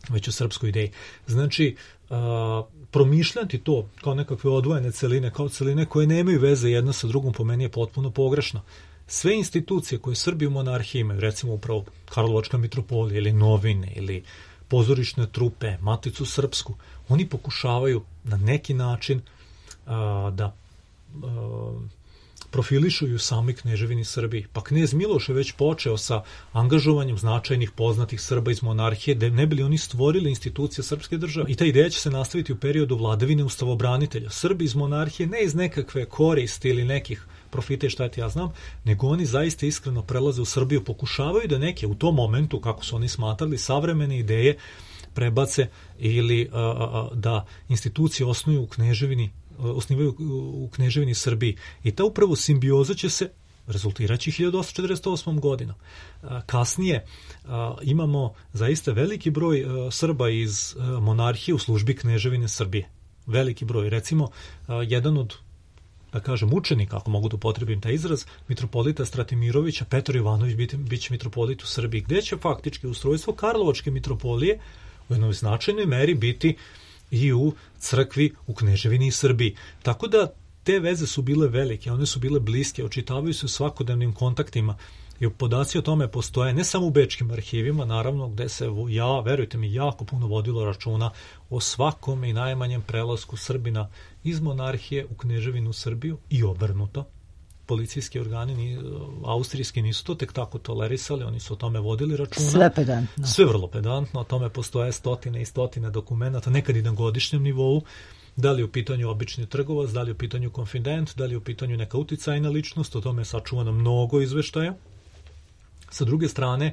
već o srpskoj ideji. Znači, a, promišljati to kao nekakve odvojene celine, kao celine koje nemaju veze jedna sa drugom, po meni je potpuno pogrešno. Sve institucije koje Srbi u monarhiji imaju, recimo upravo Karlovačka mitropolija ili novine ili pozorišne trupe, Maticu srpsku, oni pokušavaju na neki način a, da a, profilišuju sami Kneževini Srbiji. Pa knez Miloš je već počeo sa angažovanjem značajnih poznatih Srba iz monarhije, da ne bili oni stvorili institucije srpske države. I ta ideja će se nastaviti u periodu vladavine ustavobranitelja. Srbi iz monarhije ne iz nekakve koristi ili nekih profita i šta ti ja znam, nego oni zaista iskreno prelaze u Srbiju, pokušavaju da neke u tom momentu, kako su oni smatrali, savremene ideje prebace ili a, a, da institucije osnuju u Kneževini osnivaju u Kneževini Srbiji. I ta upravo simbioza će se rezultiraći hiljadu osamsto četrdeset osmom. godinom. Kasnije imamo zaista veliki broj Srba iz monarhije u službi Kneževine Srbije. Veliki broj. Recimo, jedan od, da kažem, učenika, ako mogu da upotrebim taj izraz, mitropolita Stratimirovića, Petar Jovanović bit, bit će mitropolit u Srbiji, gde će faktički ustrojstvo Karlovačke mitropolije u jednoj značajnoj meri biti i u crkvi u Kneževini i Srbiji. Tako da te veze su bile velike, one su bile bliske, očitavaju se u svakodnevnim kontaktima i podaci o tome postoje ne samo u bečkim arhivima, naravno, gde se, ja, verujte mi, jako puno vodilo računa o svakom i najmanjem prelasku Srbina iz monarhije u Kneževinu Srbiju i obrnuto. policijski organi ni, austrijski nisu to tek tako tolerisali, oni su o tome vodili računa. Sve pedantno. Sve vrlo pedantno, o tome postoje stotine i stotine dokumenta, nekad i na godišnjem nivou, da li je u pitanju obični trgovac, da li je u pitanju konfident, da li je u pitanju neka uticajna ličnost, o tome je sačuvano mnogo izveštaja. Sa druge strane,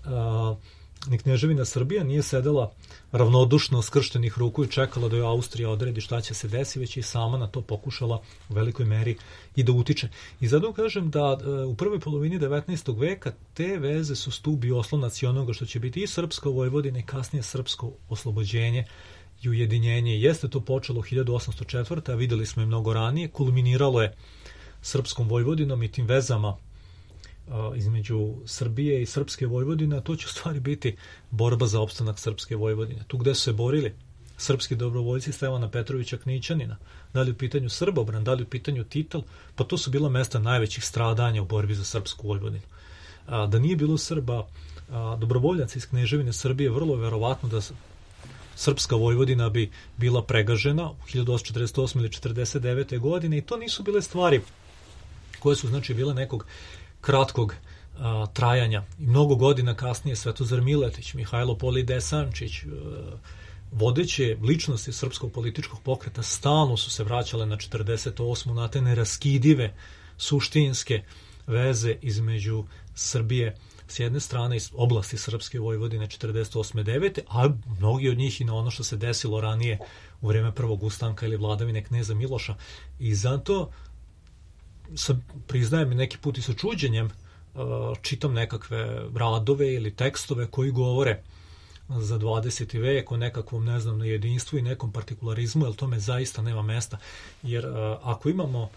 uh, ni Kneževina Srbija nije sedela ravnodušno skrštenih ruku i čekala da joj Austrija odredi šta će se desi, već i sama na to pokušala u velikoj meri i da utiče. I zato kažem da uh, u prvoj polovini devetnaestog veka te veze su stub i oslonac i onoga što će biti i srpsko Vojvodine i kasnije srpsko oslobođenje i ujedinjenje. Jeste to počelo hiljadu osamsto četvrte. a videli smo i mnogo ranije, kulminiralo je srpskom Vojvodinom i tim vezama uh, između Srbije i srpske Vojvodine, a to će u stvari biti borba za opstanak srpske Vojvodine. Tu gde su se borili srpski dobrovoljci Stevana Petrovića Knićanina, da li u pitanju Srbobran, da li u pitanju Titel, pa to su bila mesta najvećih stradanja u borbi za srpsku Vojvodinu. A, da nije bilo Srba, a, dobrovoljaca iz Kneževine Srbije, vrlo je verovatno da srpska Vojvodina bi bila pregažena u hiljadu osamsto četrdeset osme ili četrdeset devete godine i to nisu bile stvari koje su znači bile nekog kratkog a, trajanja. I mnogo godina kasnije Svetozar Miletić, Mihajlo Poli Desančić, a, vodeće ličnosti srpskog političkog pokreta stalno su se vraćale na četrdeset osmu na te neraskidive suštinske veze između Srbije s jedne strane iz oblasti Srpske Vojvodine četrdeset osme devete a mnogi od njih i na ono što se desilo ranije u vreme prvog ustanka ili vladavine kneza Miloša. I zato sam, priznajem neki put i sa čuđenjem, čitam nekakve radove ili tekstove koji govore za dvadeseti vek o nekakvom, ne znam, jedinstvu i nekom partikularizmu, jer tome zaista nema mesta. Jer ako imamo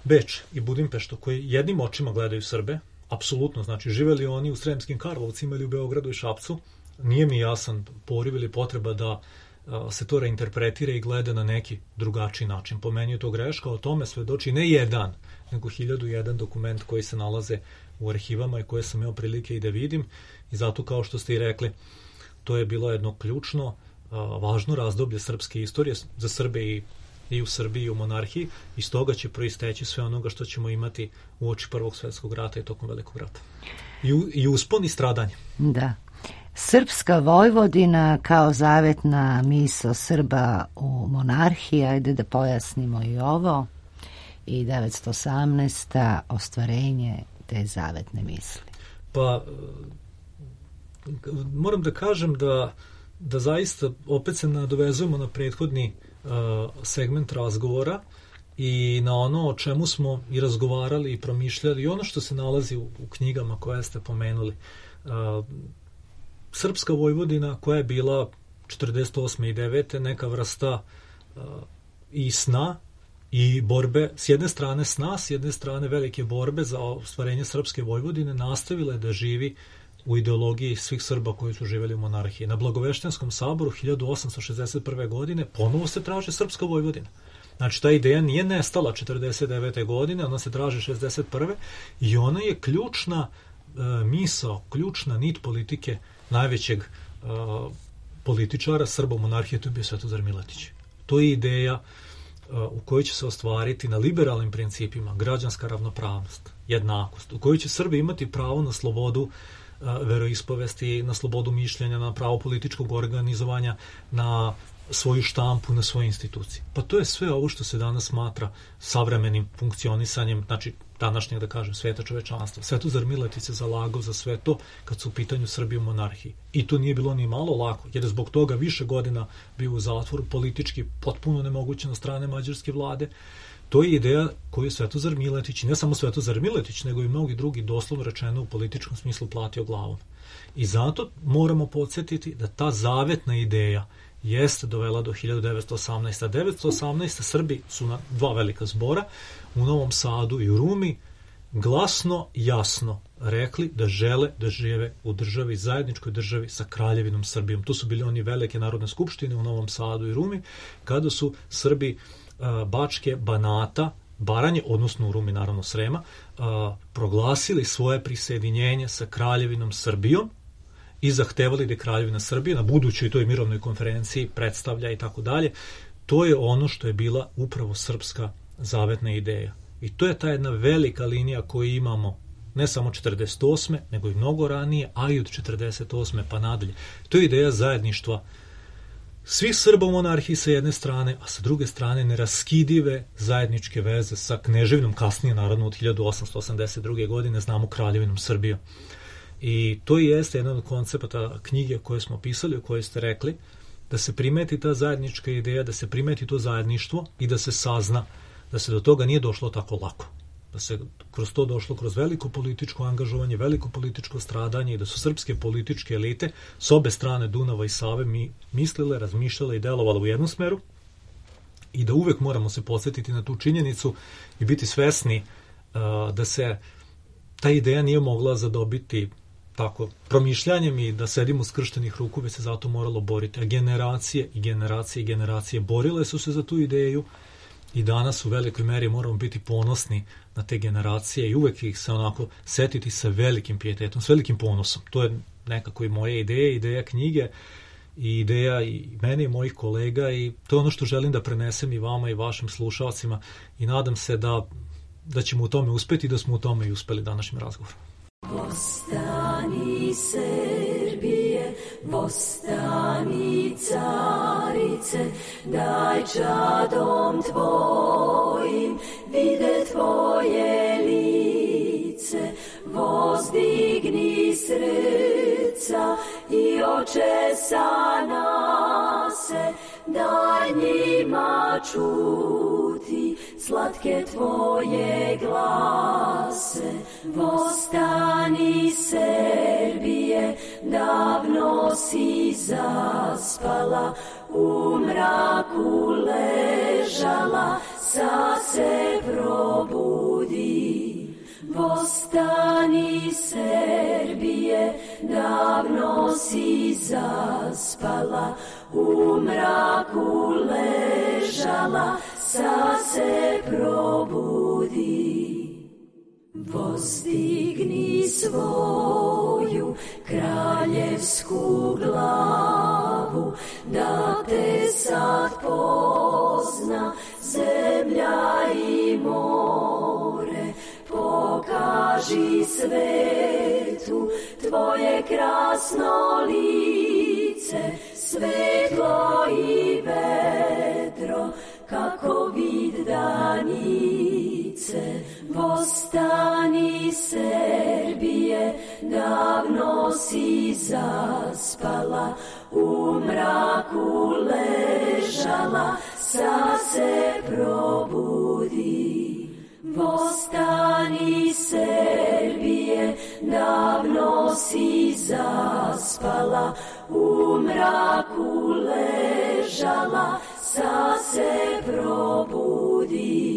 Beč i Budimpeštu koji jednim očima gledaju Srbe, apsolutno, znači živeli oni u Sremskim Karlovcima ili u Beogradu i Šapcu, nije mi jasan poriv ili potreba da a, se to reinterpretira i gleda na neki drugačiji način. Po meni je to greška, o tome svedoči ne jedan, nego hiljadu jedan dokument koji se nalaze u arhivama i koje sam imao prilike i da vidim. I zato, kao što ste i rekli, to je bilo jedno ključno, a, važno razdoblje srpske istorije za Srbe i i u Srbiji i u monarhiji, i stoga će proisteći sve onoga što ćemo imati u oči Prvog svjetskog rata i tokom Velikog rata. I, u, i uspon i stradanje. Da. Srpska Vojvodina kao zavetna misao Srba u monarhiji, ajde da pojasnimo i ovo, i devetsto osamnaesta ostvarenje te zavetne misli. Pa, moram da kažem da, da zaista opet se nadovezujemo na prethodni segment razgovora i na ono o čemu smo i razgovarali i promišljali i ono što se nalazi u, u knjigama koje ste pomenuli. Uh, Srpska Vojvodina koja je bila četrdeset osme i devete neka vrsta uh, i sna i borbe, s jedne strane sna, s jedne strane velike borbe za ostvarenje Srpske Vojvodine, nastavila je da živi u ideologiji svih Srba koji su živjeli u monarhiji. Na Blagoveštianskom saboru hiljadu osamsto šezdeset prve. godine ponovo se traže Srpska Vojvodina. Znači, ta ideja nije nestala četrdeset devete. godine, ona se traži šezdeset prve. i ona je ključna e, misao, ključna nit politike najvećeg e, političara Srba u monarhiji, to je bio Svetozar Miletić. To je ideja e, u kojoj će se ostvariti na liberalnim principima građanska ravnopravnost, jednakost, u kojoj će Srbi imati pravo na slobodu veroispovesti, na slobodu mišljenja, na pravo političkog organizovanja, na svoju štampu, na svoje institucije. Pa to je sve ovo što se danas smatra savremenim funkcionisanjem, znači današnjeg, da kažem, sveta čovečanstva. Svetozar Miletić se zalagao za sve to kad su u pitanju Srbije u monarhiji. I to nije bilo ni malo lako, jer je zbog toga više godina bio u zatvoru, politički potpuno nemoguće na strane mađarske vlade. To je ideja koju je Svetozar Miletić, i ne samo Svetozar Miletić, nego i mnogi drugi, doslovno rečeno u političkom smislu, platio glavom. I zato moramo podsjetiti da ta zavetna ideja jeste dovela do hiljadu devetsto osamnaeste. devetsto osamnaeste. Srbi su na dva velika zbora u Novom Sadu i u Rumi glasno, jasno rekli da žele da žive u državi, zajedničkoj državi sa Kraljevinom Srbijom. To su bili oni velike narodne skupštine u Novom Sadu i Rumi, kada su Srbi Bačke, Banata, Baranje, odnosno u Rumi naravno Srema, a, proglasili svoje prisjedinjenje sa Kraljevinom Srbijom i zahtevali da je Kraljevina Srbije na budućoj toj mirovnoj konferenciji predstavlja i tako dalje. To je ono što je bila upravo srpska zavetna ideja. I to je ta jedna velika linija koju imamo ne samo četrdeset osme nego i mnogo ranije, a i od četrdeset osme pa nadalje. To je ideja zajedništva svih Srba u monarhiji sa jedne strane, a sa druge strane neraskidive zajedničke veze sa kneževinom, kasnije naravno od hiljadu osamsto osamdeset druge. godine, znamo Kraljevinom Srbijom. I to jeste jedan od koncepata knjige koje smo pisali, o kojoj ste rekli, da se primeti ta zajednička ideja, da se primeti to zajedništvo i da se sazna da se do toga nije došlo tako lako. Da se kroz to došlo kroz veliko političko angažovanje, veliko političko stradanje i da su srpske političke elite s obe strane Dunava i Save mi mislile, razmišljale i delovale u jednom smeru i da uvek moramo se podsjetiti na tu činjenicu i biti svesni uh, da se ta ideja nije mogla zadobiti tako promišljanjem i da sedimo skrštenih ruku, već se zato moralo boriti. A generacije i generacije i generacije borile su se za tu ideju i danas u velikoj meri moramo biti ponosni na te generacije i uvek ih se onako setiti sa velikim pijetetom, s velikim ponosom. To je nekako i moja ideja, ideja knjige i ideja i mene i mojih kolega i to je ono što želim da prenesem i vama i vašim slušalcima i nadam se da, da ćemo u tome uspeti i da smo u tome i uspeli današnjim razgovorom. Vostani Srbije, vostani carice, daj čadom tvojim vide tvoje lice, vozdigni srca i oče sa nase, daj njima čuti slatke tvoje glase. Vostani Srbije, davno si zaspala, u mraku ležala, sa se probudi. Vostani Srbije, davno si zaspala, u mraku ležala, sa se probudi. Vozdigni svoju kraljevsku glavu, da te sad pozna zemlja i more. Pokaži svetu tvoje krasno lice, svetlo i vedro, kako vid danice. Vostani Srbije, davno si zaspala, u mraku ležala, sa se probudi. Vostani Srbije, davno si zaspala, u mraku ležala, sa se probudi.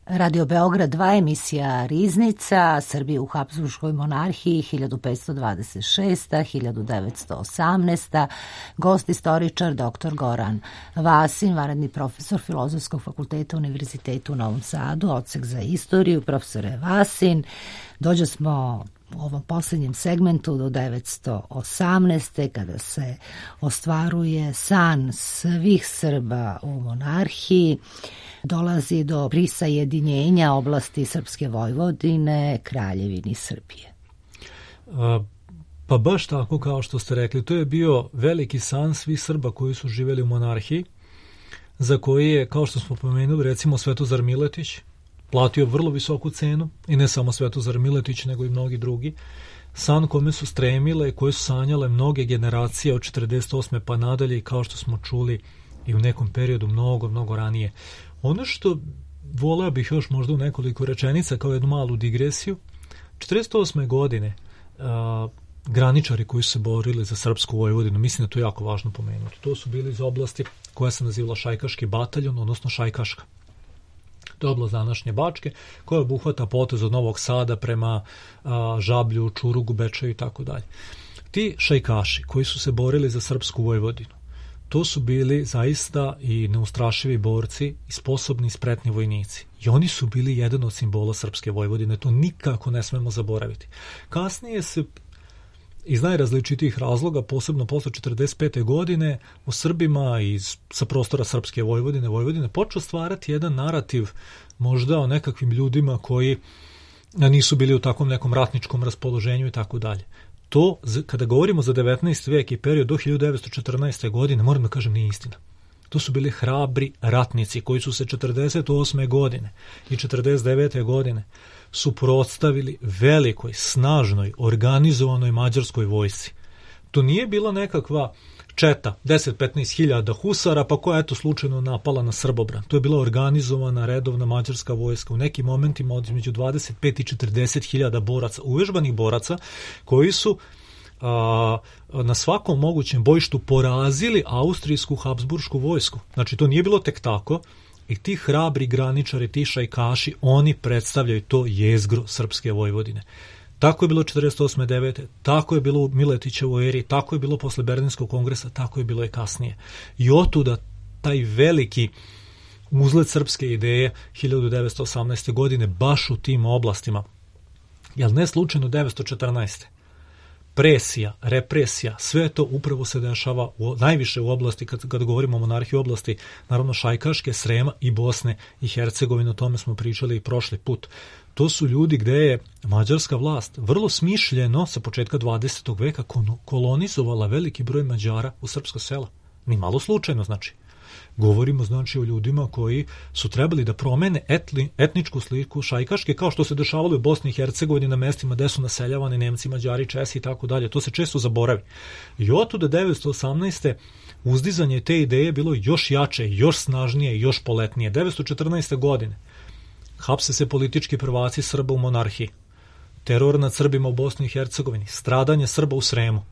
Radio Beograd dva, emisija Riznica, Srbije u Habsburškoj monarhiji hiljadu petsto dvadeset šesta do hiljadu devetsto osamnaesta. Gost istoričar dr. Goran Vasin, vanredni profesor Filozofskog fakulteta Univerziteta u Novom Sadu, odsek za istoriju. Profesore Vasin, dođe smo u ovom posljednjem segmentu do devetsto osamnaeste. kada se ostvaruje san svih Srba u monarhiji. Dolazi do prisajedinjenja oblasti Srpske Vojvodine Kraljevini Srbije. A, pa baš tako kao što ste rekli, to je bio veliki san svih Srba koji su živjeli u monarhiji, za koji je, kao što smo pomenuli, recimo Svetozar Miletić platio vrlo visoku cenu, i ne samo Svetozar Miletić, nego i mnogi drugi. San kome su stremile i koje su sanjale mnoge generacije od četrdeset osme pa nadalje, i kao što smo čuli i u nekom periodu mnogo, mnogo ranije. Ono što voleo bih još možda u nekoliko rečenica kao jednu malu digresiju, četrdeset osme godine a, graničari koji su se borili za Srpsku Vojvodinu, mislim da to je jako važno pomenuti. To su bili iz oblasti koja se nazivala Šajkaški bataljon, odnosno Šajkaška. To je oblast današnje Bačke, koja obuhvata potez od Novog Sada prema a, Žablju, Čurugu, Bečaju i tako dalje. Ti šajkaši koji su se borili za Srpsku Vojvodinu, to su bili zaista i neustrašivi borci i sposobni i spretni vojnici. I oni su bili jedan od simbola Srpske Vojvodine, to nikako ne smemo zaboraviti. Kasnije se iz najrazličitijih razloga, posebno posle četrdeset pete godine, u Srbima iz, sa prostora Srpske Vojvodine, Vojvodine, počeo stvarati jedan narativ možda o nekakvim ljudima koji nisu bili u takvom nekom ratničkom raspoloženju i tako dalje. To, kada govorimo za devetnaesti vek i period do hiljadu devetsto četrnaeste. godine, moram da kažem, nije istina. To su bili hrabri ratnici koji su se četrdeset osme. godine i četrdeset devete. godine suprotstavili velikoj, snažnoj, organizovanoj mađarskoj vojsci. To nije bila nekakva četa, deset do petnaest hiljada husara, pa koja je eto slučajno napala na Srbobran. To je bila organizovana, redovna mađarska vojska. U nekim momentima od između dvadeset pet i četrdeset hiljada boraca, uvežbanih boraca, koji su a, na svakom mogućem bojištu porazili austrijsku habsburšku vojsku. Znači, to nije bilo tek tako. I ti hrabri graničari, ti šajkaši, oni predstavljaju to jezgro Srpske Vojvodine. Tako je bilo četrdeset osme. devete. Tako je bilo u Miletićevoj eri, tako je bilo posle Berlinskog kongresa, tako je bilo i kasnije. I otuda taj veliki uzlet srpske ideje hiljadu devetsto osamnaeste. godine baš u tim oblastima. Jel ne slučajno devetsto četrnaeste. Presija, represija, sve to upravo se dešava u, najviše u oblasti, kad, kad govorimo o monarhiji, oblasti, naravno Šajkaške, Srema i Bosne i Hercegovine, o tome smo pričali i prošli put. To su ljudi gde je mađarska vlast vrlo smišljeno sa početka dvadesetog veka kolonizovala veliki broj Mađara u srpska sela. Ni malo slučajno, znači. Govorimo znači o ljudima koji su trebali da promene etli, etničku sliku Šajkaške, kao što se dešavalo u Bosni i Hercegovini na mestima gde su naseljavani Nemci, Mađari, Česi i tako dalje. To se često zaboravi. I otuda devetsto osamnaeste. uzdizanje te ideje je bilo još jače, još snažnije i još poletnije. devetsto četrnaeste. godine hapse se politički prvaci Srba u monarhiji, teror nad Srbima u Bosni i Hercegovini, stradanje Srba u Sremu.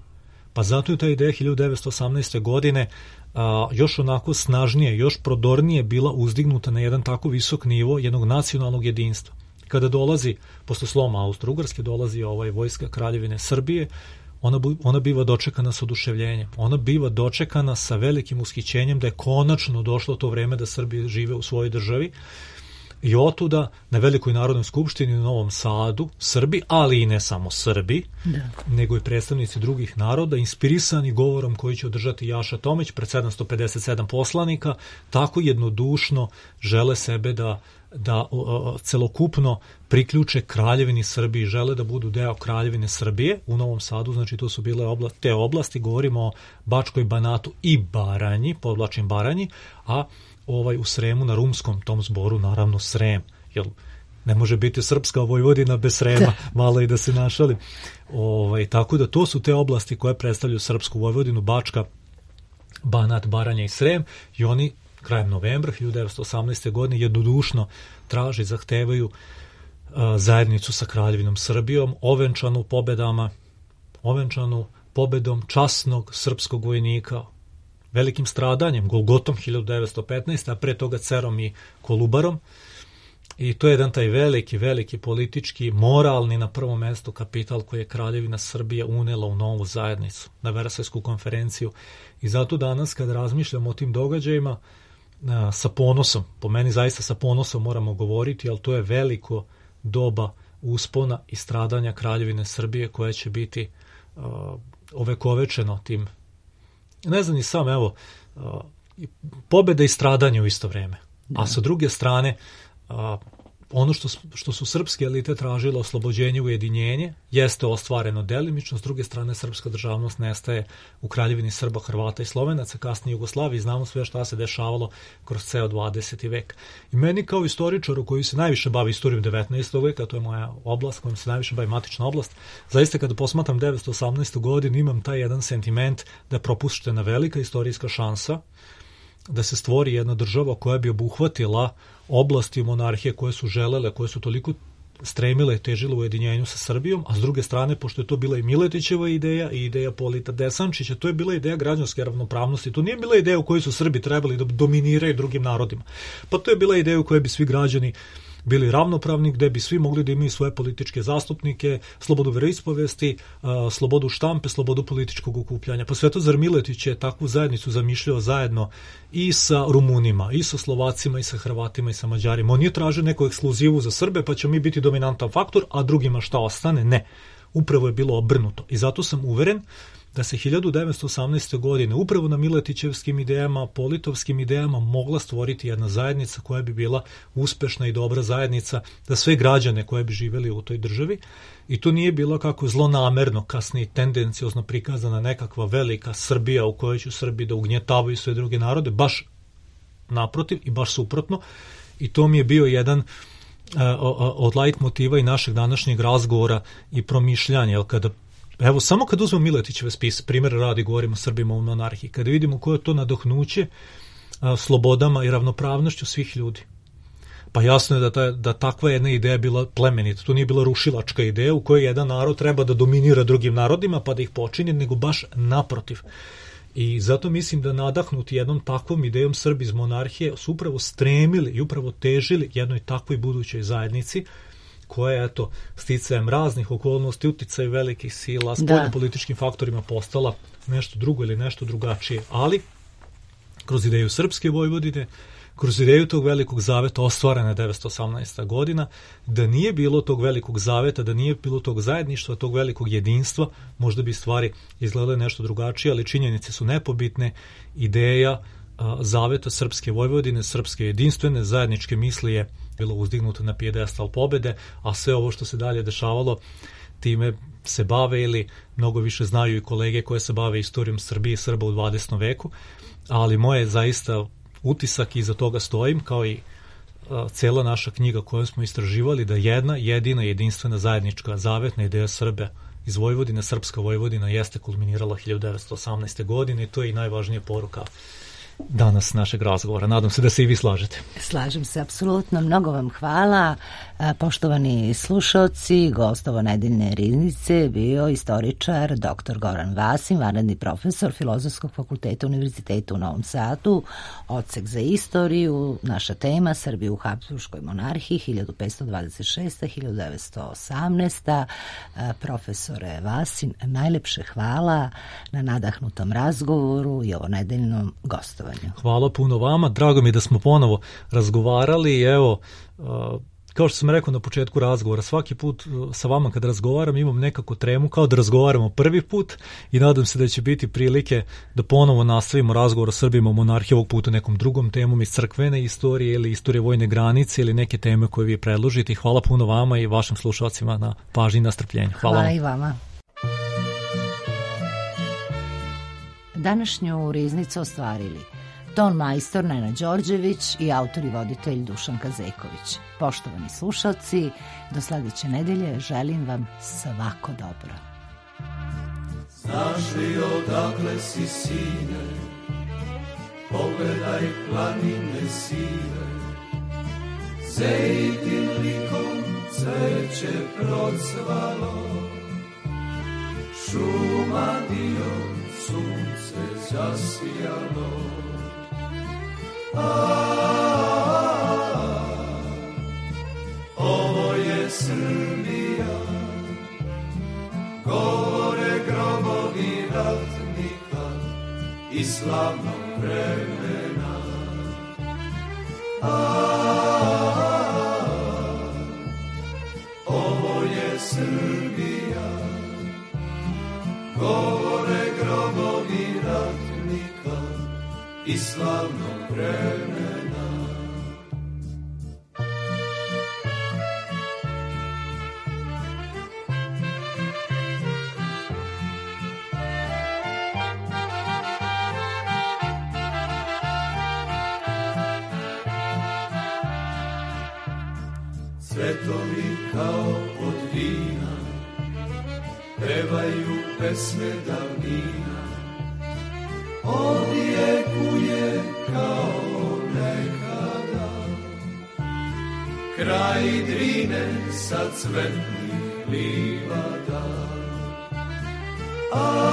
Pa zato je ta ideja hiljadu devetsto osamnaeste. godine a, još onako snažnije, još prodornije bila uzdignuta na jedan tako visok nivo jednog nacionalnog jedinstva. Kada dolazi, posle sloma Austro-Ugarske, dolazi ovaj vojska Kraljevine Srbije, ona, ona biva dočekana sa oduševljenjem. Ona biva dočekana sa velikim ushićenjem da je konačno došlo to vreme da Srbi žive u svojoj državi. I otuda na Velikoj narodnoj skupštini u Novom Sadu Srbi, ali i ne samo Srbi, da. nego i predstavnici drugih naroda, inspirisani govorom koji će održati Jaša Tomić pred sedamsto pedeset sedam poslanika, tako jednodušno žele sebe da, da o, celokupno priključe Kraljevini Srbiji, žele da budu deo Kraljevine Srbije u Novom Sadu. Znači to su bile oblasti, te oblasti, govorimo o Bačkoj, Banatu i Baranji, podvlačim Baranji, a ovaj u Sremu na rumskom tom zboru, naravno Srem, jer ne može biti srpska Vojvodina bez Srema, malo i da se našali. Ovaj, tako da to su te oblasti koje predstavljaju srpsku Vojvodinu, Bačka, Banat, Baranja i Srem, i oni krajem novembra hiljadu devetsto osamnaeste. godine jednodušno traže i zahtevaju a, zajednicu sa Kraljevinom Srbijom, ovenčanu pobedama, ovenčanu pobedom časnog srpskog vojnika, velikim stradanjem, Golgotom hiljadu devetsto petnaeste. a pre toga Cerom i Kolubarom. I to je jedan taj veliki, veliki politički, moralni na prvom mestu kapital koji je Kraljevina Srbija unela u novu zajednicu, na Versajsku konferenciju. I zato danas kad razmišljamo o tim događajima, sa ponosom, po meni zaista sa ponosom moramo govoriti, ali to je veliko doba uspona i stradanja Kraljevine Srbije koje će biti uh, ovekovečeno tim. Ne znam ni sam, evo, pobjeda i stradanje u isto vrijeme. Da. A sa druge strane, ono što, što su srpske elite tražile, oslobođenje, ujedinjenje, jeste ostvareno delimično. S druge strane, srpska državnost nestaje u Kraljevini Srba, Hrvata i Slovenaca, kasnije Jugoslaviji. Znamo sve šta se dešavalo kroz ceo dvadeseti vek. I meni kao istoričaru koji se najviše bavi istorijom devetnaestog veka, to je moja oblast kojom se najviše bavi, matična oblast, zaista kada posmatram devetsto osamnaestu. godinu imam taj jedan sentiment da je propuštena velika istorijska šansa da se stvori jedna država koja bi obuhvatila oblasti monarhije koje su želele, koje su toliko stremile i težile u ujedinjenju sa Srbijom, a s druge strane, pošto je to bila i Miletićeva ideja i ideja Polita Desančića, to je bila ideja građanske ravnopravnosti. To nije bila ideja u kojoj su Srbi trebali da dominiraju drugim narodima. Pa to je bila ideja u kojoj bi svi građani bili ravnopravni, gde bi svi mogli da imaju svoje političke zastupnike, slobodu veroispovesti, slobodu štampe, slobodu političkog okupljanja. Pa sve to zar Miletić je takvu zajednicu zamišljao zajedno i sa Rumunima, i sa Slovacima, i sa Hrvatima, i sa Mađarima. On nije tražio neku ekskluzivu za Srbe, pa će mi biti dominantan faktor, a drugima šta ostane? Ne. Upravo je bilo obrnuto i zato sam uveren da se hiljadu devetsto osamnaeste. godine upravo na miletićevskim idejama, politovskim idejama mogla stvoriti jedna zajednica koja bi bila uspešna i dobra zajednica za sve građane koje bi živjeli u toj državi. I to nije bilo kako zlonamerno, kasnije tendenciozno prikazana nekakva velika Srbija u kojoj će Srbi da ugnjetavaju sve druge narode, baš naprotiv i baš suprotno. I to mi je bio jedan uh, od lajt motiva i našeg današnjeg razgovora i promišljanja, jer kada evo, samo kad uzmemo Miletićeve spise, primjer radi, govorimo o Srbima u monarhiji, kada vidimo koje je to nadahnuće a, slobodama i ravnopravnošću svih ljudi. Pa jasno je da, ta, da takva jedna ideja bila plemenita. To nije bila rušilačka ideja u kojoj jedan narod treba da dominira drugim narodima pa da ih počini, nego baš naprotiv. I zato mislim da nadahnuti jednom takvom idejom Srbi iz monarhije su upravo stremili i upravo težili jednoj takvoj budućoj zajednici, koja je, eto, sticajem raznih okolnosti, uticaj velikih sila, spoljnopolitičkim faktorima postala nešto drugo ili nešto drugačije. Ali, kroz ideju Srpske Vojvodine, kroz ideju tog velikog zaveta ostvarena je devetsto osamnaesta. godina, da nije bilo tog velikog zaveta, da nije bilo tog zajedništva, tog velikog jedinstva, možda bi stvari izgledale nešto drugačije, ali činjenice su nepobitne. Ideja a, zaveta Srpske Vojvodine, srpske jedinstvene zajedničke misli je bilo uzdignuto na pijedestal pobede, a sve ovo što se dalje dešavalo, time se bave ili mnogo više znaju i kolege koje se bave istorijom Srbije i Srba u dvadesetom veku, ali moje zaista utisak, iza toga stojim, kao i a, cela naša knjiga koju smo istraživali, da jedna, jedina, jedinstvena zajednička zavetna ideja Srbe iz Vojvodine, Srpska Vojvodina, jeste kulminirala hiljadu devetsto osamnaeste. godine i to je i najvažnija poruka danas našeg razgovora. Nadam se da se i vi slažete. Slažem se, apsolutno. Mnogo vam hvala. Poštovani slušalci, gost ovo nedeljne riznice bio istoričar doktor Goran Vasin, vanredni profesor Filozofskog fakulteta Univerziteta u Novom Sadu, odsek za istoriju. Naša tema Srbija u Habsburškoj monarhiji hiljadu petsto dvadeset šesta do hiljadu devetsto osamnaesta. Profesore Vasin, najlepše hvala na nadahnutom razgovoru i ovo nedeljnom gostovanju. Hvala puno vama, drago mi je da smo ponovo razgovarali i evo, kao što sam rekao na početku razgovora, svaki put sa vama kad razgovaram imam nekako tremu kao da razgovaramo prvi put i nadam se da će biti prilike da ponovo nastavimo razgovor o Srbima u monarhiji, ovog puta nekom drugom temom iz crkvene istorije ili istorije vojne granice ili neke teme koje vi predložite. Hvala puno vama i vašim slušalcima na pažnji i na strpljenju. Hvala, Hvala i vama. Današnju riznicu ostvarili ton majstor Nenad Đorđević i autor i voditelj Dušan Kazeković. Poštovani slušalci, do sledeće nedelje želim vam svako dobro. Znaš li odakle si, sine, pogledaj planine sive, zejtin likom cveće procvalo, šuma dio sunce zasijalo. A, ovo je Srbija, govore grobovi ratnika i slavnog vremena. A, ovo je Srbija, govore grobovi ratnika i slavnog vremena. Cvetovi kao od vina pevaju pesme davnina, odjekuje kao nekada kraj Drine sa cvetnih livada. A